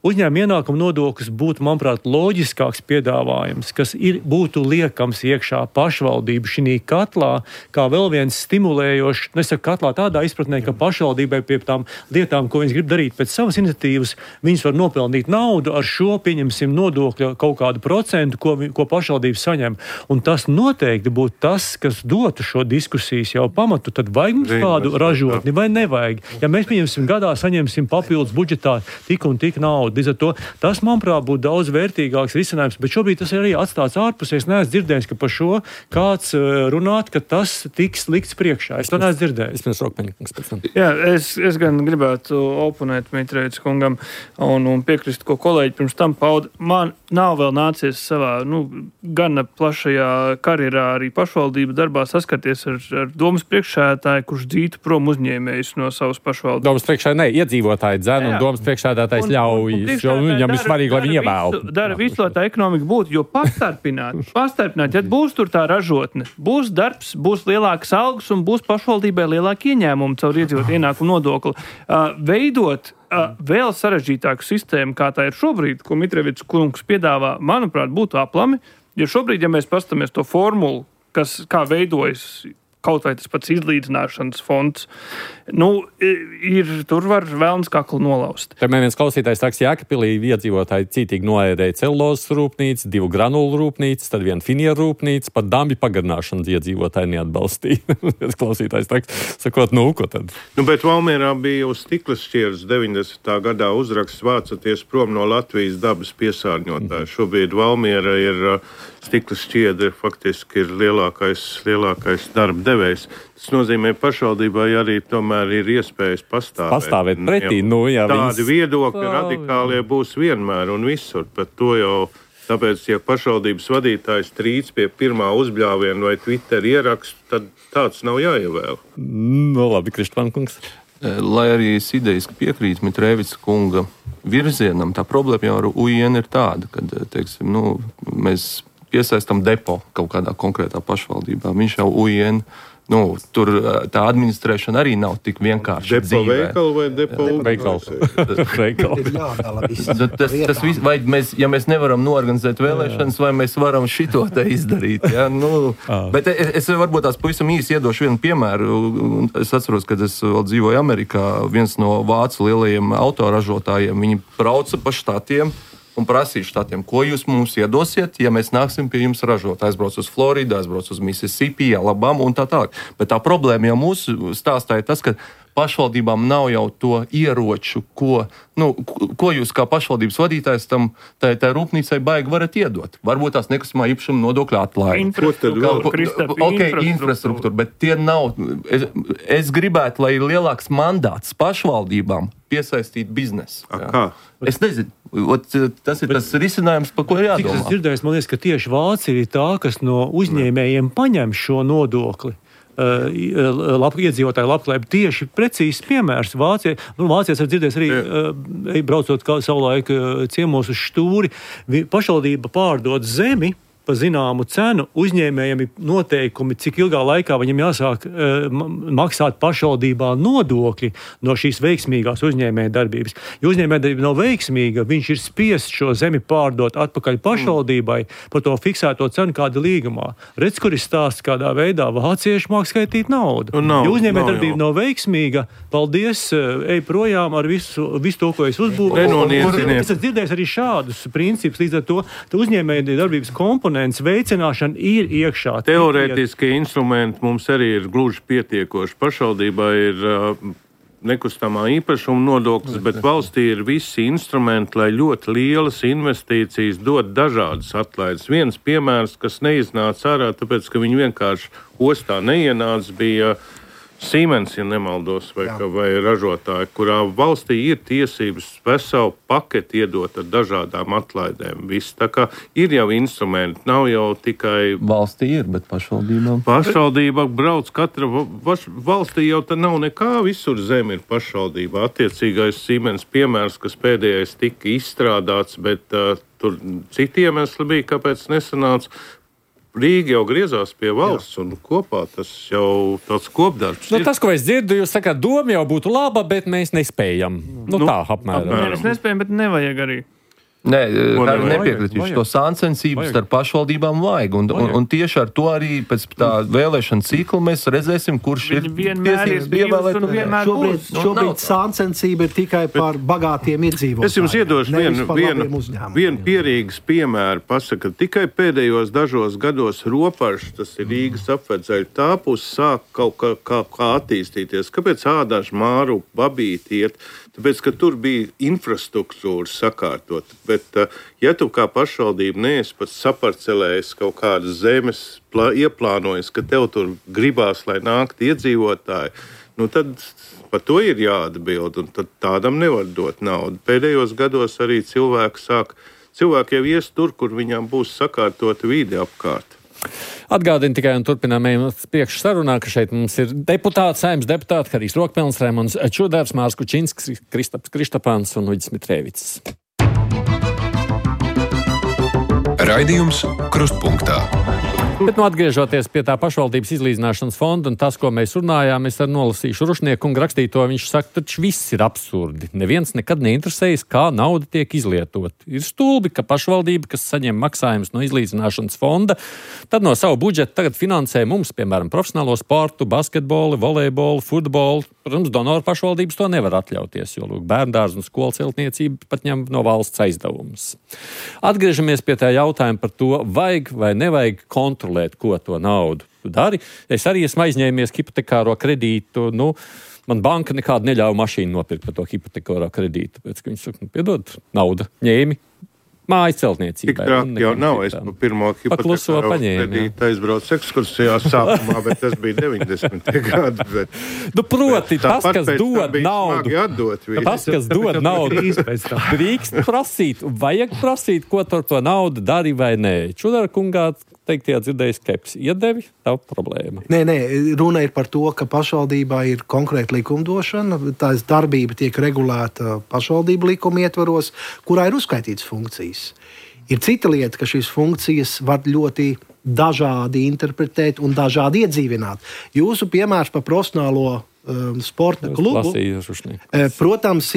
uzņēmuma ienākuma nodoklis būtu, manuprāt, loģiskāks piedāvājums, kas būtu liekams iekšā pašvaldību šī katlā, kā vēl viens stimulējošs, nesaku katlā tādā izpratnē, ka pašvaldībai pie tām lietām, ko viņas grib darīt pēc savas iniciatīvas, viņas var nopelnīt naudu ar šo, pieņemsim, nodokļa kaut kādu procentu, ko pašvaldība saņem. Un tas noteikti būtu tas, kas dotu šo diskusijas jau pamatu. Tad vajag mums kādu ražotni vai nevajag. Ja mēs, pieņemsim, gadā saņemsim papildus budžetā tik un tik naudu, līdz ar to tas, manuprāt, būtu daudz vērtīgāks risinājums, bet šobrīd tas ir arī atstāts ārpusē. Es neesmu dzirdējis, ka par šo kāds runāt, ka tas tiks likts priekšā. Es to neesmu dzirdējis. Jā, es gan gribētu oponēt Mitrēviča kungam un piekrist, ko kolēģi pirms tam pauda. Man nav vēl nācies savā gana plašajā karjerā arī pašvaldību darbā saskarties ar domas priekšsēdētāju, kurš dzītu prom uzņēmējus no savas pašvaldības. Domas priekšsēdētāji iedzīvotāji dzēn un domas priekšsēdētājs ļauj, jo viņam ir svarīgi, lai viņi ievēl. Dara visu, lai tā ekonomika būtu, jo pastarpināt, ja būs tur tā ražotne, būs darbs, būs lielākas algas un būs pašvaldībai lielāki ieņēmumi caur iedzīvotāju ienākumu nodokli. Veidot vēl sarežģītāku sistēmu, kā tā ir šobrīd, ko Mitrēvičs kungs piedāvā, manuprāt, būtu aplami, jo šobrīd, ja mēs pastamies to formulu, kā veidojas kaut vai tas pats izlīdzināšanas fonds, tur var vēlns kaklu nolaust. Te man viens klausītājs saka, Jēkabpilī iedzīvotāji cītīgi noērēja celulozes rūpnīcu, 2 granulu rūpnīcas, tad 1 finieru rūpnīcu, pat dambi pagarināšanas iedzīvotāji neatbalstīja. Klausītājs sakot, ko tad? Bet Valmierā bija uz stiklas šķieres 90. gadā uzraksts vācoties prom no Latvijas dabas piesārņotāja. Šobrīd Valmiera ir stiklas šķiedra, faktiski ir lielākais darba devējs. Tas nozīmē, pašvaldībai arī tomēr ir iespējas pastāvēt pretī. Tādi viedokļi radikālie būs vienmēr un visur. Pat to jau, tāpēc, ja pašvaldības vadītājs trīc pie pirmā uzbļāviena vai Twitter ierakstu, tad tāds nav jāievēl. Labi, Krištvankungs. Lai arī es idejiski piekrītu Mitrēviča kunga virzienam, tā problēma jau ar UIN ir tāda, kad, teiksim, mēs piesaistam depo kaut kādā konkrētā pašvaldībā. Viņš jau UIN, tur tā administrēšana arī nav tik vienkārši depo dzīvē. Veikalu vai depo veikals? Vai mēs nevaram noorganizēt vēlēšanas, vai mēs varam šito te izdarīt? Ja? Bet es varbūt tās pavisam īsi iedošu vienu piemēru. Es atceros, kad es vēl dzīvoju Amerikā, viens no vācu lielajiem autoražotājiem, viņi brauca pa štatiem un prasīja štatiem, ko jūs mums iedosiet, ja mēs nāksim pie jums ražot. Aizbrauc uz Floridu, aizbrauc uz Mississippi, Alabama un tā tālāk. Bet tā problēma jau mūsu stāstā ir tas, ka pašvaldībām nav jau to ieroču, ko jūs kā pašvaldības vadītājs tai rūpnīcai baigi varat iedot. Varbūt tās nekustamā īpašuma nodokļa atlaide. Infrastruktūra, bet tie nav. Es gribētu, lai ir lielāks mandāts pašvaldībām piesaistīt biznesu. Kā? Es nezinu. Tas ir tas risinājums, par ko ir jādomā. Cik es dzirdēju, man liekas, ka tieši Vācija ir tā, kas no uzņēmējiem paņem šo nodokli. Iedzīvotāju labklājību. Tieši precīzs piemērs Vācijai. Vācijas var dzirdēs arī, braucot savulaik ciemos uz Štūri, pašvaldība pārdod zemi pa zināmu cenu, uzņēmējiem ir noteikumi, cik ilgā laikā viņam jāsāk maksāt pašvaldībā nodokļi no šīs veiksmīgās uzņēmēja darbības. Ja uzņēmēja darbība nav veiksmīga, viņš ir spiests šo zemi pārdot atpakaļ pašvaldībai par to fiksēto cenu kāda līgumā. Redz, kur ir stāsts, kādā veidā vācieši māk skaitīt naudu. Ja uzņēmēja darbība nav veiksmīga, paldies, ej projām ar visu to, ko es uzbūvu. Es dzirdēju arī šādus principus, līdz ar to uzņēmēja darbības komponents veicināšana ir iekšā. Teorētiskie instrumenti mums arī ir gluži pietiekoši. Pašvaldībā ir nekustamā īpašuma nodoklis, bet valstī ir visi instrumenti, lai ļoti lielas investīcijas dot dažādas atlaides. Viens piemērs, kas neiznāca ārā, tāpēc, ka viņi vienkārši ostā neienāca, bija Siemens, ja nemaldos, vai ražotāji, kurā valstī ir tiesības veselu paketi iedot ar dažādām atlaidēm. Viss tā kā ir jau instrumenti, nav jau tikai... Valstī ir, bet pašvaldībām... Pašvaldība brauc katra... Valstī jau tā nav nekā, visur zem ir pašvaldība. Attiecīgais Siemens piemērs, kas pēdējais tika izstrādāts, bet tur citi iemesli bija, kāpēc nesanāca. Rīga jau griezās pie valsts, un kopā tas jau tāds kopdarbs. Tas, ko es dzirdu, jūs sakāt, doma jau būtu laba, bet mēs nespējam. Tā apmēram. Mēs nespējam, bet nevajag arī. Nē, nepiekritīšu. To sāncensību starp pašvaldībām vajag. Un tieši ar to arī pēc tā vēlēšana cikla mēs redzēsim, kurš ir tiesības ievēlēt. Šobrīd sāncensība ir tikai par bagātiem iedzīvotājiem. Es jums iedošu vienu pierīgas piemēru. Pasaka, tikai pēdējos dažos gados Ropažs, tas ir Rīgas apvedzeļa tāpus, sāk kaut kā attīstīties. Kāpēc Ādažu, Māru, Babīti iet? Tāpēc, ka tur bija infrastruktūra sakārtot. Bet, ja tu kā pašvaldība neesi pats saparcelējis kaut kādas zemes, ieplānojis, ka tev tur gribās, lai nāktu iedzīvotāji, tad par to ir jāatbild, un tad tādam nevar dot naudu. Pēdējos gados arī cilvēki jau ies tur, kur viņām būs sakārtota vide apkārt. Atgādinu tikai un turpinām priekš sarunā, ka šeit mums ir Saeimas deputāti Harijs Rokpelns, Raimonds Čudars, Mārs Kučinskis, Kristaps Krištapāns un Uģis Mitrēvics. Raidījums Krustpunktā. Bet atgriežoties pie tā pašvaldības izlīdzināšanas fonda un tas, ko mēs runājām, es nolasīšu Rušnieku un rakstīto, viņš saka, taču viss ir absurdi. Neviens nekad neinteresējas, kā nauda tiek izlietot. Ir stulbi, ka pašvaldība, kas saņem maksājumus no izlīdzināšanas fonda, tad no savu budžetu tagad finansē mums, piemēram, profesionālo sportu, basketbolu, volejbolu, futbolu. Protams, donoru pašvaldības to nevar atļauties, jo bērndārzu un skolu celtniecība pat ņem no valsts aizdevumus. Atgriežamies pie tā jautājuma par to, vajag vai nevajag kontrolēt, ko to naudu dari. Es arī esmu aizņēmies hipotekāro kredītu. Man banka nekādu neļauj mašīnu nopirkt par to hipotekāro kredītu. Tāpēc, ka viņi saka, piedod, nauda ņēmi. Mājas celtniecībai. Tik trāk jau nav. Es pirmo hipotekāro kredītu aizbraucu ekskursijā sākumā, bet tas bija 90. gadi. Bet... proti, tas, kas dod naudu, drīkst prasīt, vajag prasīt, ko ar to naudu dari vai nē. Čudara kungā teiktajā dzirdēju skepsi. Iedevi, tā problēma. Nē, runa ir par to, ka pašvaldībā ir konkrēta likumdošana, tās darbība tiek regulēta pašvaldību likuma ietvaros, kurā ir uzskaitītas funkcijas. Ir cita lieta, ka šīs funkcijas var ļoti dažādi interpretēt un dažādi iedzīvināt. Jūsu piemērs par profesionālo sporta klubu. Protams,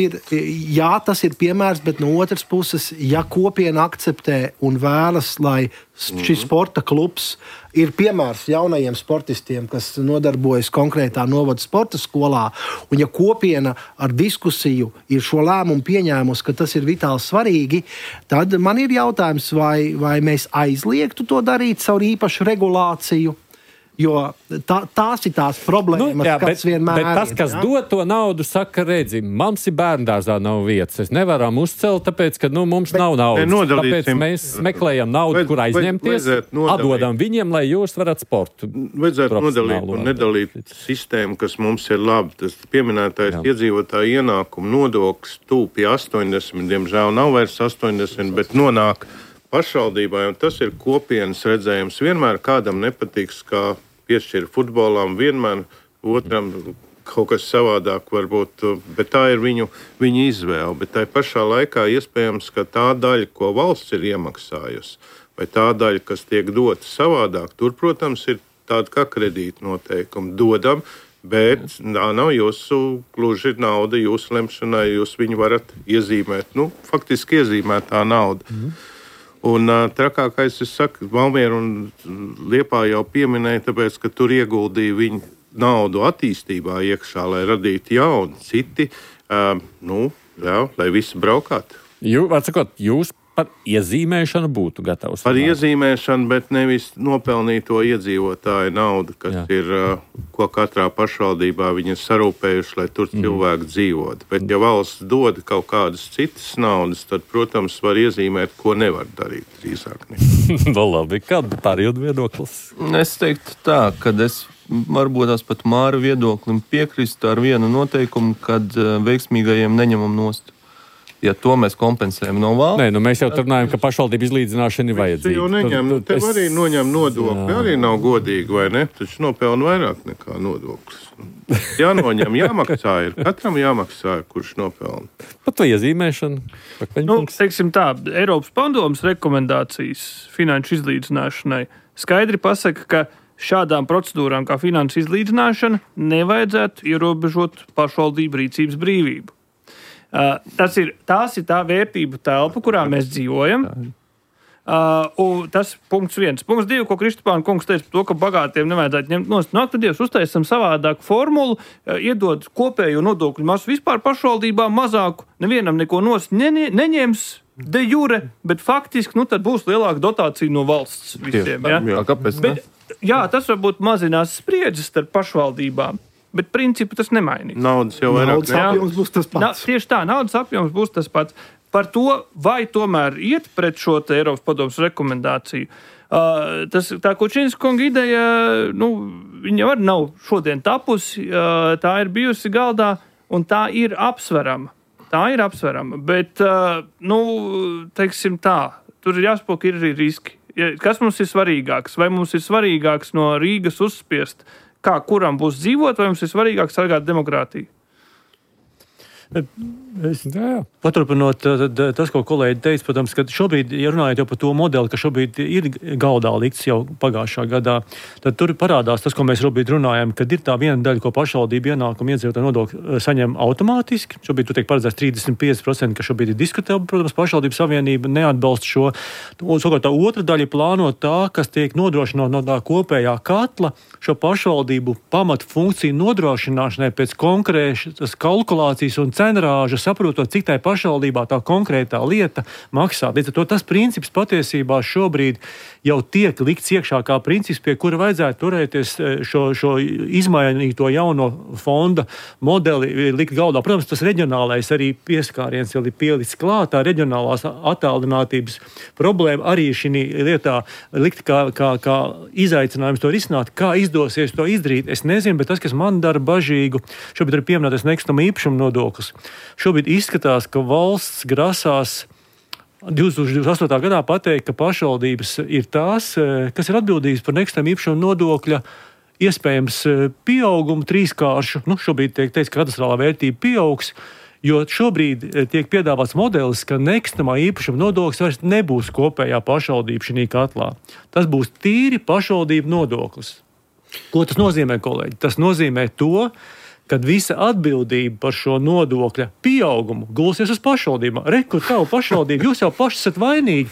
tas ir piemērs, bet no otras puses, ja kopiena akceptē un vēlas, lai šis sporta klubs ir piemērs jaunajiem sportistiem, kas nodarbojas konkrētā novada sporta skolā, un ja kopiena ar diskusiju ir šo lēmumu pieņēmusi, ka tas ir vitāli svarīgi, tad man ir jautājums, vai mēs aizliegtu to darīt caur īpašu regulāciju, Jo tās ir tās problēmas, kas vienmēr ir. Bet tas, kas dod to naudu, saka, redzi, mums ir bērndārzā nav vietas. Es nevaram uzcelt, tāpēc, ka mums nav naudas. Tāpēc mēs meklējam naudu, kur aizņemties, atdodam viņiem, lai jūs varat sportu. Vajadzētu nodalīt un nedalīt sistēmu, kas mums ir labi. Tas pieminētais iedzīvotāju ienākumu nodoklis tūp pie 80, diemžēl nav vairs 80, bet nonāk pašvaldībai, un tas ir kopienas redzējums. Vienmēr kādam nepatiks, kā piešķir futbolam, vienmēr otram kaut kas savādāk varbūt, bet tā ir viņu izvēle. Bet tai pašā laikā iespējams, ka tā daļa, ko valsts ir iemaksājusi, vai tā daļa, kas tiek dota savādāk, tur, protams, ir tāda kā kredīta noteikuma. Dodam, bet tā nav jūsu gluži nauda, jūsu lemšanai, jūs viņu varat iezīmēt. Faktiski iezīmētā nauda. Un trakākais, es saku, Valmiera un Liepāja jau pieminēja, tāpēc, ka tur ieguldīja viņu naudu attīstībā iekšā, lai radītu jaunu, citi, lai visi braukātu. Jūs par iezīmēšanu būtu gatavs? Par iezīmēšanu, bet nevis nopelnīto iedzīvotāju naudu, kas ir, ko katrā pašvaldībā viņi ir sarūpējuši, lai tur cilvēki dzīvot. Bet, ja valsts dod kaut kādas citas naudas, tad, protams, var iezīmēt, ko nevar darīt drīzāk. Labi, kāda pārējot viedoklis? Es teiktu tā, ka es varbūt tās pat Māra viedoklim piekrist ar vienu noteikumu, kad veiksmīgajiem neņemam nost. Ja to mēs kompensējam no valsts. Nē, mēs jau tur runājam, ka pašvaldība izlīdzināšana ir vajadzīga. Tev arī noņem nodokli, arī nav godīgi, vai ne? Taču nopelna vairāk nekā nodoklis. Jānoņem, jāmaksā ir. Katram jāmaksā, kurš nopelna. Pat to iezīmēšanu. Teiksim tā, Eiropas padomes rekomendācijas finanšu izlīdzināšanai skaidri pasaka, ka šādām procedūrām kā finanšu izlīdzināšana nevajadzētu ierobežot pašvaldību rīcības brīvību. Tās ir tā vērtību telpa, kurā mēs dzīvojam. Tas punkts 1. Punkts 2, ko Kristapāna kungs teica par to, ka bagātiem nevajadzētu ņemt nost. Tad Dievs uztaisam savādāku formulu, iedod kopējo nodokļu masu vispār pašvaldībām mazāku, nevienam neko nost neņems de jure, bet faktiski tad būs lielāka dotācija no valsts visiem. Kāpēc ne? Tas varbūt mazinās spriedzes starp pašvaldībām. Bet principu tas nemainīs. Naudas jau vairāk apjoms būs tas pats. Tieši tā, naudas apjoms būs tas pats. Par to, vai tomēr iet pret šo Eiropas padomes rekomendāciju. Tā Kučīnas kunga ideja, viņa arī nav šodien tapusi, tā ir bijusi galdā, un tā ir apsverama. Bet, teiksim tā, tur ir jāspēk, ir arī riski. Kas mums ir svarīgāks? Vai mums ir svarīgāks no Rīgas uzspiest, kā kuram būs dzīvot, vai mums ir svarīgāk sargāt demokrātiju? Paturpinot tas, ko kolēģi teica, protams, ka šobrīd, ja runājot jau par to modeli, ka šobrīd ir galdā likts jau pagājušā gadā, tad tur parādās tas, ko mēs šobrīd runājam, kad ir tā viena daļa, ko pašvaldība ienākuma iedzīvotāju nodokļu saņem automātiski. Šobrīd tur tiek paredzēts 35%, ka šobrīd ir diskutēta, protams, pašvaldību savienība neatbalsta šo. Savukārt tā otra daļa plāno tā, kas tiek nodrošināta no tā kopējā katla, šo pašvaldību pamatu funkciju nodrošināšanai pēc konkrētas kalkulācijas un cenrāža, saprotot, cik tai pašvaldībā tā konkrētā lieta maksā. Līdz ar to tas princips patiesībā šobrīd jau tiek likts iekšā kā princips, pie kura vajadzētu turēties šo izmainīto jauno fonda modeli likt galdā. Protams, tas reģionālais arī pieskāriens jau ir pielicis klāt, tā reģionālās attālinātības problēma arī šī lietā likt kā izaicinājums to risināt, kā izdosies to izdarīt. Es nezinu, bet tas, kas man dara bažīgu, šobrīd ir pieminētais nekustamā īpašuma nodoklis. Šobrīd izskatās, ka valsts grasās 2028. gadā pateikt, ka pašvaldības ir tās, kas ir atbildīgas par nekustamā īpašuma nodokļa iespējams pieaugumu trīskāršu. Šobrīd tiek teikts, ka katastrālā vērtība pieaugs, jo šobrīd tiek piedāvāts modelis, ka nekustamā īpašuma nodoklis vairs nebūs kopējā pašvaldība šī katlā. Tas būs tīri pašvaldību nodoklis. Ko tas nozīmē, kolēģi? Tas nozīmē to, kad visa atbildība par šo nodokļa pieaugumu gulsies uz pašvaldībām. Kur tavu pašvaldību, jūs jau paši esat vainīgi.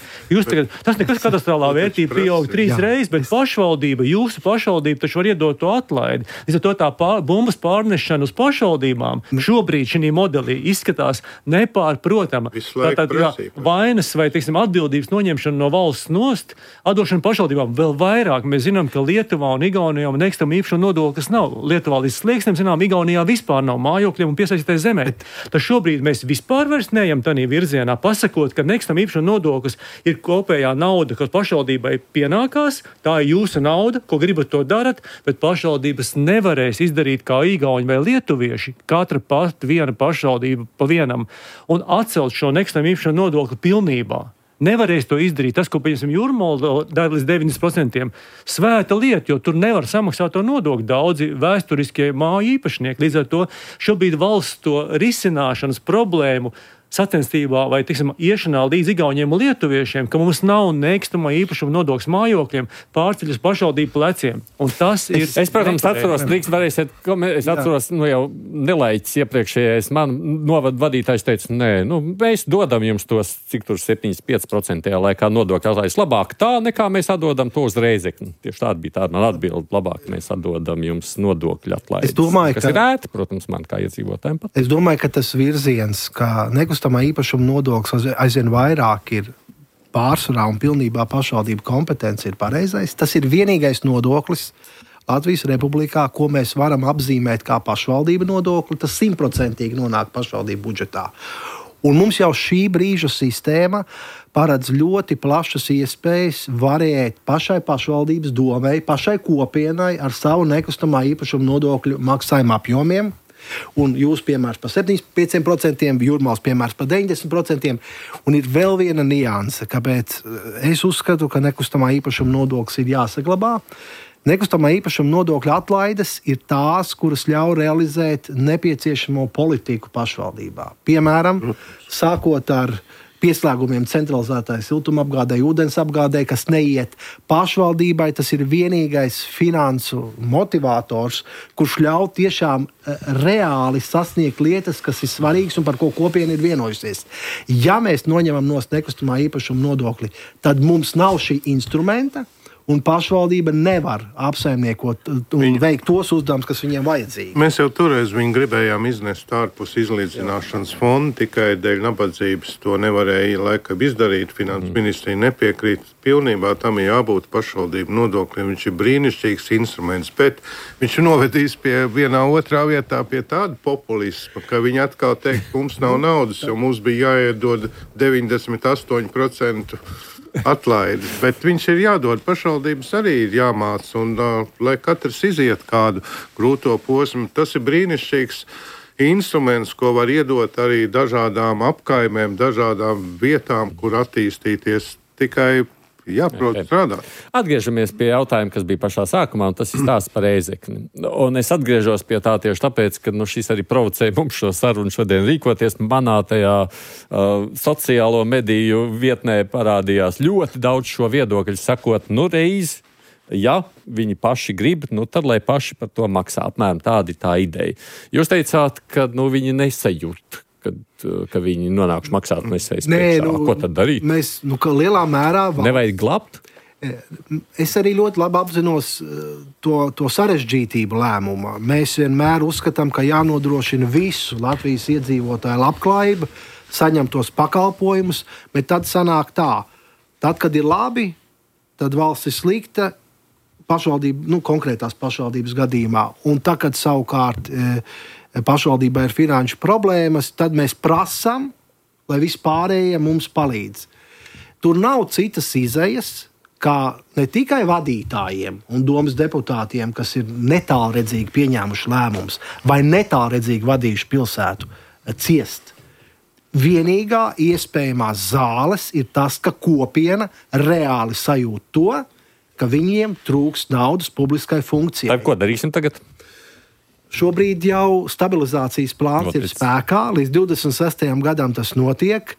Tas nekas katastrofālā vērtība pieaug 3 reizes, bet pašvaldība, jūsu pašvaldība taču var iedot to atlaidi. Līdz ar to tā bumbas pārnešana uz pašvaldībām šobrīd šī modelī izskatās nepārprotama. Tātad vainas vai, teiksim, atbildības noņemšana no valsts nost, atdošana pašvaldībām vēl vairāk. Mēs zinām, ka Lietuvā un Igaunijā nekustamo īpašumu nodoklis nav. Lietuvā līdz slieksnim, zinām, Igaunijā vispār nav mājokļiem un piesaistītai zemē. Tad šobrīd mēs vispār vairs neejam tādā virzienā, pasakot, ka nekustamo īpašumu nodoklis ir kopējā nauda, kas pašvaldībai pienākās, tā ir jūsu nauda, ko gribat to darat, bet pašvaldības nevarēs izdarīt kā igauņi vai lietuvieši, katra viena pašvaldība pa vienam, un atcelt šo nekustamo īpašumu nodokli pilnībā. Nevarēs to izdarīt. Tas, ko, pieņemsim, Jūrmala dara līdz 90%, svēta lieta, jo tur nevar samaksāt to nodokli daudzi vēsturiskie māju īpašnieki. Līdz ar to šobrīd valsts to risināšanas problēmu sacensībā vai, tiksim, iešanā līdz igauņiem un lietuviešiem, ka mums nav nekustamā īpašuma nodoklis mājokļiem, pārceļas pašvaldību pleciem. Un tas ir... Es, protams, atceros, es atceros, jau nelaiķis iepriekšējais man novadu vadītājs teica, mēs dodam jums tos, cik tur 75% laikā nodokļu atlaides. Labāk tā, nekā mēs atdodam to uz Reizekni. Tieši tāda bija tāda man atbilde. Labāk mēs atdodam jums nodokļu atlaides. Es domāju, kas ir ēti, protams, man kā iedzīvotājiem pat. Es domāju, ka tas virziens, ka nekustamā īpašuma nodoklis aizvien vairāk ir pārsvarā un pilnībā pašvaldību kompetence ir pareizais. Tas ir vienīgais nodoklis Latvijas Republikā, ko mēs varam apzīmēt kā pašvaldība nodokli. Tas 100% nonāk pašvaldību budžetā. Un mums jau šī brīža sistēma paredz ļoti plašas iespējas variēt pašai pašvaldības domei, pašai kopienai ar savu nekustamā īpašuma nodokļu maksājumu apjomiem. Un jūs piemērs par 75%, Jūrmāls piemērs par 90%. Un ir vēl viena nianse, kāpēc es uzskatu, ka nekustamā īpašuma nodoklis ir jāsaglabā. Nekustamā īpašuma nodokļa atlaides ir tās, kuras ļauj realizēt nepieciešamo politiku pašvaldībā. Piemēram, sākot ar pieslēgumiem centralizētai siltumapgādei, ūdens apgādei, kas neiet pašvaldībai. Tas ir vienīgais finansu motivators, kurš ļauj tiešām reāli sasniegt lietas, kas ir svarīgas un par ko kopiena ir vienojusies. Ja mēs noņemam no nekustamā īpašuma nodokli, tad mums nav šī instrumenta, un pašvaldība nevar apsaimniekot un veikt tos uzdevumus, kas viņiem vajadzīgi. Mēs jau toreiz viņu gribējām iznest ārpus izlīdzināšanas fonda, tikai dēļ nabadzības to nevarēja laikam izdarīt. Finanses ministrija nepiekrīt. Pilnībā tam ir jābūt pašvaldību nodokļiem. Viņš ir brīnišķīgs instruments, bet viņš novedīs pie vienā otrā vietā pie tāda populisma, ka viņi atkal teikt, mums nav naudas, jo mums bija jāiedod 98% atlaides, bet viņš ir jādod, pašvaldības arī ir jāmāc, un lai katrs iziet kādu grūto posmu, tas ir brīnišķīgs instruments, ko var iedot arī dažādām apkaimēm, dažādām vietām, kur attīstīties, tikai jāprot strādāt. Atgriežamies pie jautājuma, kas bija pašā sākumā, un tas ir stāsts par Reizekni. Un es atgriežos pie tā tieši tāpēc, ka šis arī provocēja mums šo sarunu šodien rīkoties. Manā tajā sociālo mediju vietnē parādījās ļoti daudz šo viedokļu, sakot, reiz, ja viņi paši grib, tad lai paši par to maksā. Apmēram tāda ir tā ideja. Jūs teicāt, ka viņi nesajūt, ka viņi nonākuši maksāt nesējas priekšā. Ko tad darīt? Mēs, ka lielā mērā... Nevajag glabt? Es arī ļoti labi apzinos to sarežģītību lēmumā. Mēs vienmēr uzskatām, ka jānodrošina visu Latvijas iedzīvotāju labklājību, saņem tos pakalpojumus, bet tad sanāk tā. Tad, kad ir labi, tad valsts ir slikta, pašvaldība, konkrētās pašvaldības gadījumā. Un tad, kad savukārt pašvaldībā ir finanšu problēmas, tad mēs prasām, lai vispārējie mums palīdz. Tur nav citas izejas, kā ne tikai vadītājiem un domas deputātiem, kas ir netālredzīgi pieņēmuši lēmumus vai netālredzīgi vadījuši pilsētu, ciest. Vienīgā iespējamā zāles ir tas, ka kopiena reāli sajūt to, ka viņiem trūkst naudas publiskai funkcijai. Tad ko darīsim tagad? Šobrīd jau stabilizācijas plāns ir spēkā. Līdz 26. gadam tas notiek.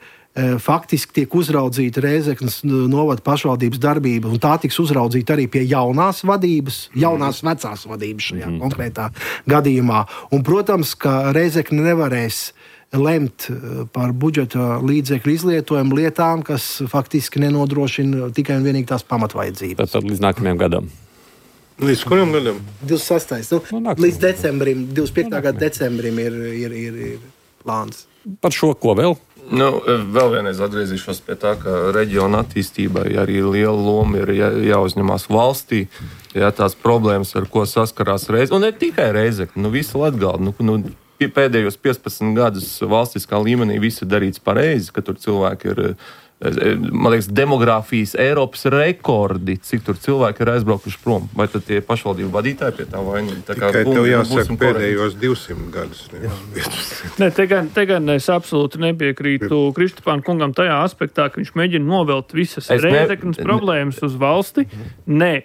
faktiski tiek uzraudzīta Rēzeknes novada pašvaldības darbība, un tā tiks uzraudzīta arī pie jaunās vadības, jaunās vecās vadības šajā konkrētā gadījumā. Un, protams, ka Rēzekne nevarēs lemt par budžeta līdzekļu izlietojumu lietām, kas faktiski nenodrošina tikai un vienīgi tās pamatvajadzības. Tad līdz nākamajam gadam. Līdz kuram gadam? 26. Līdz decembrim, 25. Gada decembrim ir plāns. Par šo ko vēl? Vēl vienreiz atgriezīšos pie tā, ka reģiona attīstībai arī liela loma ir jāuzņemās valstī. Jā, tās problēmas, ar ko saskarās Reizekne, un ne tikai Reizekne, visa Latgale. Pēdējos 15 gadus valstiskā līmenī viss ir darīts pareizi, ka tur cilvēki ir, man liekas, demogrāfijas Eiropas rekordi, cik tur cilvēki ir aizbraukuši prom. Vai tad tie pašvaldību vadītāji pie tā vainīgi? Tikai tev jāsaka pēdējos 200 gadus. Ne, te gan es absolūti nepiekrītu Kristapāna kungam tajā aspektā, ka viņš mēģina novelt visas Rēzeknes problēmas uz valsti. Nē.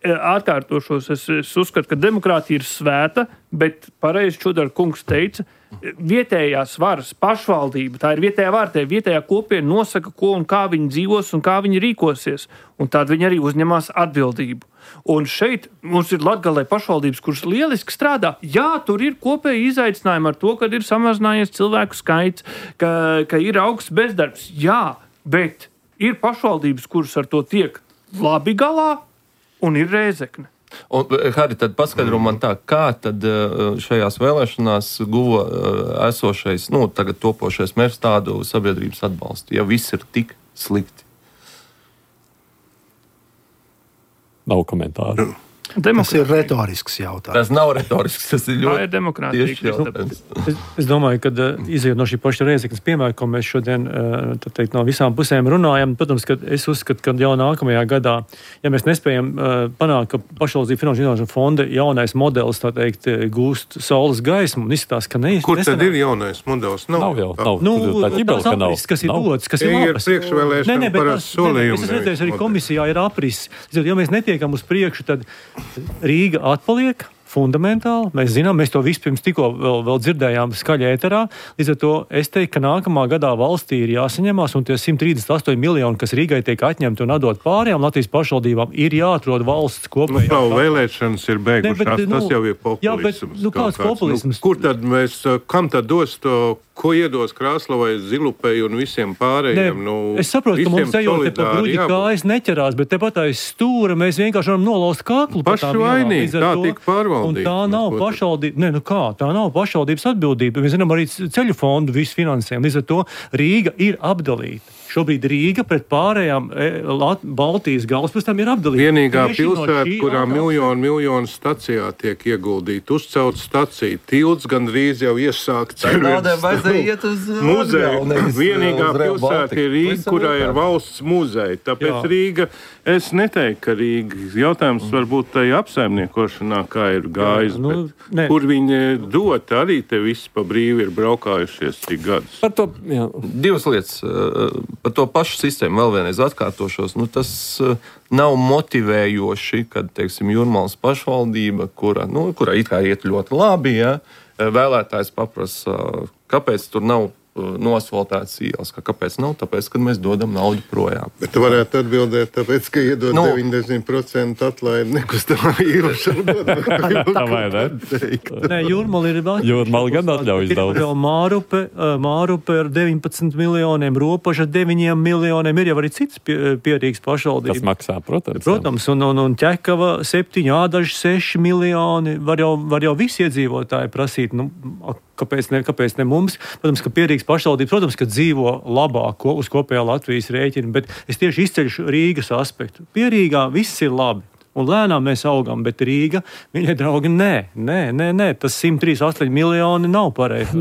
Atkārtošos, es uzskatu, ka demokrātija ir svēta, bet pareizi Čudara kungs teica, vietējās varas pašvaldība, tā ir vietējā vara, vietējā kopiena nosaka, ko un kā viņi dzīvos un kā viņi rīkosies, un tad viņi arī uzņemās atbildību. Un šeit mums ir Latgalē pašvaldības, kuras lieliski strādā. Jā, tur ir kopēji izaicinājumi ar to, ka ir samazinājies cilvēku skaits, ka ir augsts bezdarbs. Jā, bet ir pašvaldības, kuras ar to tiek labi galā, un ir Rēzekne. Un, Hari, tad paskaidro man tā, kā tad šajās vēlēšanās guva esošais, tagad topošais mērs tādu sabiedrības atbalstu, ja viss ir tik slikti? Nav komentāru. Tas ir retorisks jautājums. Tas nav retorisks, tas ir ļoti demokrātieši jautājums. Es domāju, ka izejot no šī paša Rēzeknes piemēra, ko mēs šodien no visām pusēm runājam, protams, ka es uzskatu, ka jau nākamajā gadā, ja mēs nespējam panākt, ka pašvaldību finanšu zināšanu fonda jaunais modelis, tā teikt, gūst saules gaismu, un izskatās, ka Kur tad ir jaunais modelis? Nav jau. Tās aprises, kas ir dotas, kas ir labas. Ir priekšvēlēšana parasti solījumi. Es redzēju, arī komisijā ir aprises. Ja mēs netiekam uz priekšu, tad Rīga atpaliek fundamentāli. Mēs zinām, mēs to vispirms tikko vēl dzirdējām skaļi ēterā. Līdz ar to es teiktu, ka nākamā gadā valstī ir jāsaņemās, un tie 138 miljoni, kas Rīgai tiek atņemti un atdot pārējām Latvijas pašvaldībām, ir jāatrod valsts kopējā. Vēlēšanas ir beigušās, tas jau ir populisms. Kāds populisms? Kur tad kam tad dos to, ko iedos Krāslavai, Zilupei un visiem pārējiem? Es saprotu, ka mums ejot te pa bruģi kājas neķerās, bet tepat aiz stūra mēs vienkārši varam nolaust kaklu. Paši vainīgi, tā tika pārvaldība. Un tā nav pašvaldība, tā nav pašvaldības atbildība. Mēs zinām arī ceļu fondu visu finansējumu. Līdz ar to Rīga ir apdalīta. Šobrīd Rīga pret pārējām Baltijas galvaspilsētām ir apdalīta. Vienīgā pilsēta, kurā miljonu stacijā tiek ieguldīta, uzcelt staciju, tilts gandrīz jau iesākt muzeju. Vienīgā pilsēta ir Rīga, kurā ir valsts muzeja. Tāpēc Rīga, es neteiktu, ka Rīga jautājums varbūt tai apsaimniekošanā, kā ir gājis, bet kur viņi dot, arī te visi pa brīvi ir braukājušies cik gadus. Par to, divas lietas. Par to pašu sistēmu vēl vienreiz atkārtošos. Tas nav motivējoši, kad, teiksim, Jūrmalas pašvaldība, kura it kā iet ļoti labi, vēlētājs paprasa, kāpēc tur nav nosvaltētas ielas. Kāpēc nav? Tāpēc, kad mēs dodam naudu projām. Bet tu varētu atbildēt, tāpēc, ka iedod 90% atlaidi nekustamā īpašuma. Tā vai ne? Nē, Jūrmala ir vēl. Jūrmala gan atļaujas daudz. Ir vēl Mārupe ar 19 miljoniem, Ropaža 9 miljoniem. Ir jau arī cits pierīgs pašvaldības. Tas maksā, protams. Protams, un Ķekava 7, Ādaži 6 miljoni. Var jau visi iedzīvotāji prasīt, kāpēc ne mums? Protams, ka pierīgs pašvaldības, protams, ka dzīvo labāk uz kopējā Latvijas rēķina, bet es tieši izceļšu Rīgas aspektu. Pierīgā viss ir labi. Un lēnām mēs augam, bet Rīga, viņai draugi, nē, tas 138 miljoni nav pareizi.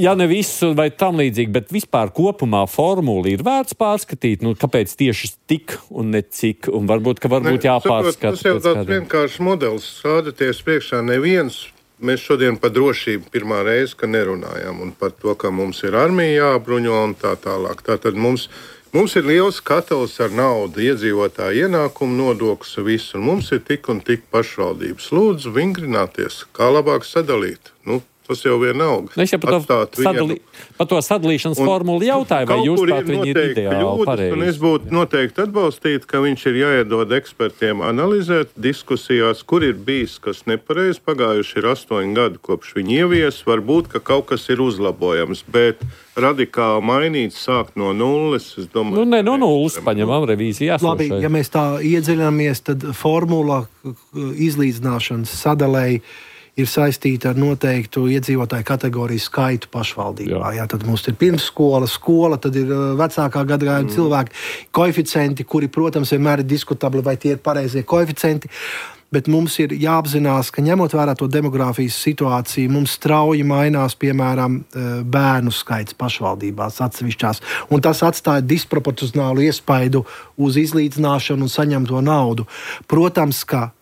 Ja ne visu vai tam līdzīgi, bet vispār kopumā formula ir vērts pārskatīt, kāpēc tieši tik un ne cik, un varbūt jāpārskata. Tas jau tāds vienkāršs modelis, sādaties priekšā neviens. Mēs šodien par drošību pirmā reize, ka nerunājām, un par to, ka mums ir armija jābruņo un tā tālāk. Tātad mums ir liels katls ar naudu, iedzīvotāju ienākumu nodoklis, visu, un mums ir tik un tik pašvaldības. Lūdzu, vingrināties, kā labāk sadalīt. Tas jau vienalga. Es jau par to sadalīšanas formulu jautāju, vai jūs prāt viņi ir ideāli pareizi? Un es būtu noteikti atbalstīt, ka viņš ir jāiedod ekspertiem analizēt diskusijās, kur ir bijis kas nepareizi. Pagājuši ir 8 gadi, kopš viņi ievies. Varbūt, ka kaut kas ir uzlabojams, bet radikāli mainīt, sākt no nulles, es domāju... Nu, ne no nulles, paņemam revīziju esošai. Labi, ja mēs tā iedziļināmies, tad formula izlīdzināšanas sadalēji ir saistīta ar noteiktu iedzīvotāju kategoriju skaitu pašvaldībā. Jā, tad mums ir pirmsskola, skola, tad ir vecākā gadagājuma cilvēki, koeficienti, kuri, protams, vienmēr ir diskutabli, vai tie ir pareizie koeficienti. Bet mums ir jāapzinās, ka ņemot vērā to demogrāfijas situāciju, mums strauji mainās, piemēram, bērnu skaits pašvaldībās atsevišķās. Un tas atstāja disproporcionālu iespaidu uz izlīdzināšanu un saņemto naudu. Protams, ka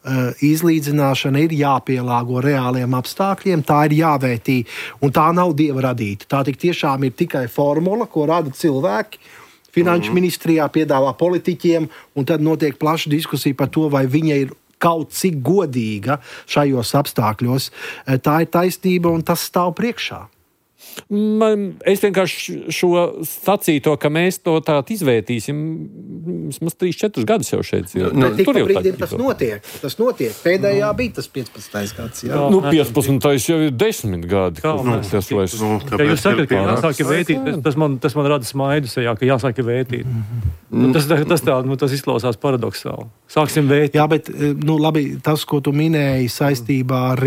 izlīdzināšana ir jāpielāgo reāliem apstākļiem, tā ir jāvērtī, un tā nav dieva radīta. Tā tik tiešām ir tikai formula, ko rada cilvēki. Finanšu ministrijā piedāvā politiķiem, un tad notiek plaša diskusija par to, vai viņa ir kaut cik godīga šajos apstākļos. Tā ir taisnība, un tas stāv priekšā. Es vienkārši šo sacīto, ka mēs to tādu izvērtīsim, vismaz 3-4 gadus jau šeit. Tik pa brīdim tas notiek. Pēdējā bija tas 15. gads. Jā. 15. jau ir 10 gadi. Ja jūs sakat, ka jāsāk vētīt, tas man rada smaidu sejā, ka jāsāk vētīt. Tas izklausās paradoksāli. Sāksim vētīt. Jā, bet labi, tas, ko tu minēji saistībā ar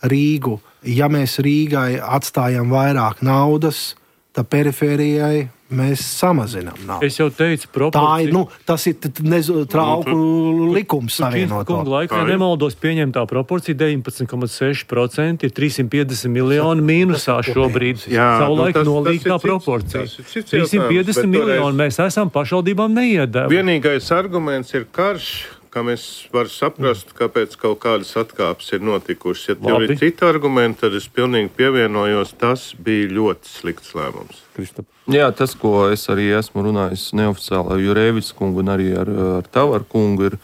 Rīgu, ja mēs Rīgai atstājam vairāk naudas, tad perifērijai mēs samazinām naudu. Es jau teicu, proporcija. Tas ir trauku likums savienot. Kungu laikā nemaldos pieņemtā proporcija 19,6% ir 350 miljoni mīnusā šobrīd. Savulaik nolīgtā proporcija. 350 miljoni mēs esam pašvaldībām neiedevi. Vienīgais arguments ir karš, kā mēs varam saprast, kāpēc kaut kādas atkāpes ir notikušas. Ja tev ir citi argumenti, tad es pilnīgi pievienojos, tas bija ļoti slikts lēmums. Jā, tas, ko es arī esmu runājis neoficiāli ar Jurēvičs kungu un arī ar Tavaru kungu, ir,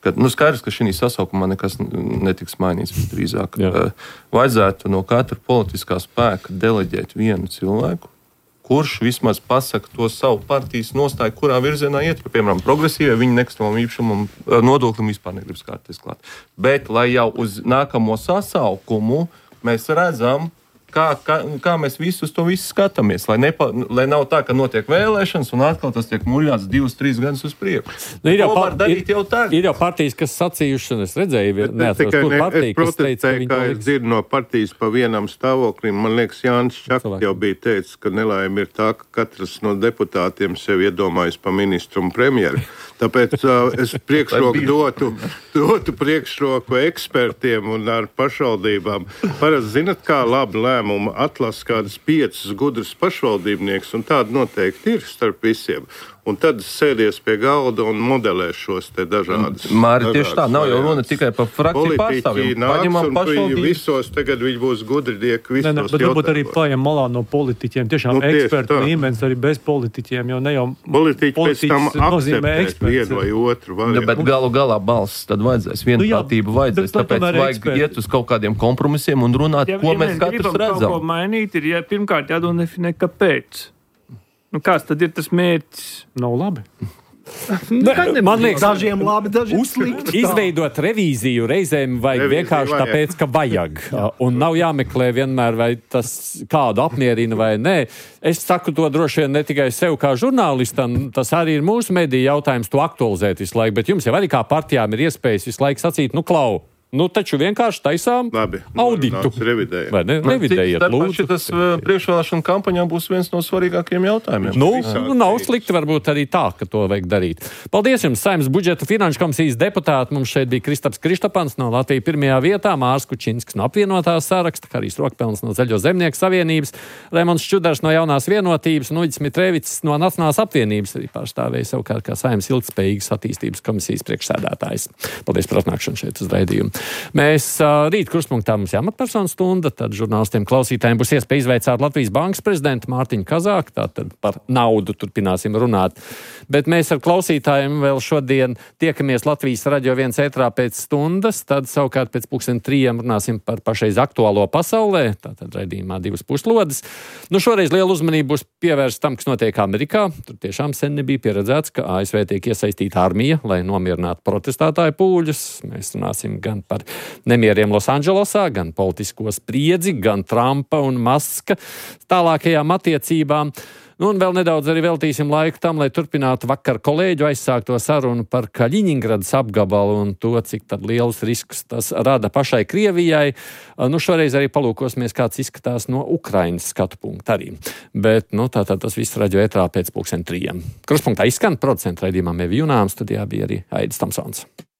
ka skaidrs, ka šī sasaukumā nekas netiks mainīts drīzāk. Vajadzētu no katra politiskā spēka deleģēt vienu cilvēku, kurš vismaz pasaka to savu partijas nostāju, kurā virzienā iet, piemēram, progresīvie, viņi nekustamam īpašumam nodoklim vispār negribas kārties klāt. Bet, lai jau uz nākamo sasaukumu mēs redzam, kā mēs visus to visu skatāmies, lai nav tā, ka notiek vēlēšanas un atkal tas tiek muļāts 2-3 gadus uz priekšu. Ir jau partijas, kas sacījuši, un es redzēju, neatceros, kur partija, kas teica, ka es dzirdu no partijas pa vienam stāvoklim. Man liekas, Jānis Čakts jau bija teicis, ka nelaime ir tā, ka katrs no deputātiem sev iedomājas pa ministru un premjeru. Tāpēc es dotu priekšroku ekspertiem un ar pašvaldībām. Parasti zinat, kā labi lēmumu atlasa kādas 5 gudras pašvaldībnieks, un tāda noteikti ir starp visiem. Un tad sēdies pie galda un modelē šos te dažādas. Māri, tieši tā, nav jau runa tikai par frakciju pārstāvjiem. Paņemam pašvaldības. Visos tagad viņi būs gudrinieki visos jautājumos. Bet varbūt arī pājam malā no politiķiem. Tiešām ekspertu līmenis arī bez politiķiem, jo ne jau politiķi pēc tam akceptēs vienu vai otru variantu. Bet galu galā balss tad vajadzēs, vienprātību vajadzēs, tāpēc vajag iet uz kaut kādiem kompromisiem un runāt, ko mēs katrs redzam. Kaut ko mainīt, ir pirmkārt jādefinē, kāpēc. Kāds tad ir tas mērķis? Nav labi. Man liekas, dažiem labi, dažiem slikti. Izveidot revīziju reizēm vajag vienkārši tāpēc, ka vajag. Un nav jāmeklē vienmēr, vai tas kādu apmierina vai nē. Es saku to droši vien ne tikai sev kā žurnālistam, tas arī ir mūsu mediju jautājums to aktualizēt visu laiku, bet jums jau arī kā partijām ir iespējas visu laiku sacīt, klau. Taču vienkārši taisām auditu. Vai ne? Revidējiet, lūdzu. Tas priekšvēlēšana kampaņā būs viens no svarīgākajiem jautājumiem. Nav slikti varbūt arī tā, ka to vajag darīt. Paldies jums, Saeimas budžeta finanšu komisijas deputāti. Mums šeit bija Kristaps Kristapans no Latvijas pirmajā vietā, Mārs Kučinsks no apvienotās saraksta, Harijs Rokpelns no Zaļo zemnieku savienības, Raimons Čudars no Jaunās vienotības un Uģis Mitrēvics no Nacionālās apvienības arī pārstāvēja savukārt kā Saeimas ilgtspējīgas attīstības komisijas priekšsēdētājs. Paldies par atnākšanu šeit uz raidījumu. Mēs rīt kruspunktā mums jāmatpersonu stunda, tad žurnālistiem klausītājiem būs iespēja izveicāt Latvijas bankas prezidentu Mārtiņu Kazāku, tātad par naudu turpināsim runāt. Bet mēs ar klausītājiem vēl šodien tiekamies Latvijas Radio 1 ētrā pēc stundas, tad savukārt pēc 2:30 runāsim par pašreiz aktuālo pasaulē, tātad raidījumā divas puslodes. Nu, šoreiz liela uzmanība būs pievērsta tam, kas notiek Amerikā. Tur tiešām sen nebija pieredzēts, ka ASV tiek iesaistīta armija, lai nomierinātu protestētāju pūļus. Mēs runāsim gan par nemieriem Losandželosā, gan politisko spriedzi, gan Trumpa un Maska tālākajām attiecībām. Nu, un vēl nedaudz arī veltīsim laiku tam, lai turpinātu vakar kolēģu aizsākto sarunu par Kaļiņingradas apgabalu un to, cik tad liels risks tas rada pašai Krievijai. Nu, šoreiz arī palūkosimies, kāds izskatās no Ukrainas skatu punkta arī. Bet, nu, tātad tas viss radio ētrā pēc 2:30. Kruspunktā izskan producentu raidījumā Mevi Junām, studijā bija arī Aidis Tamsons.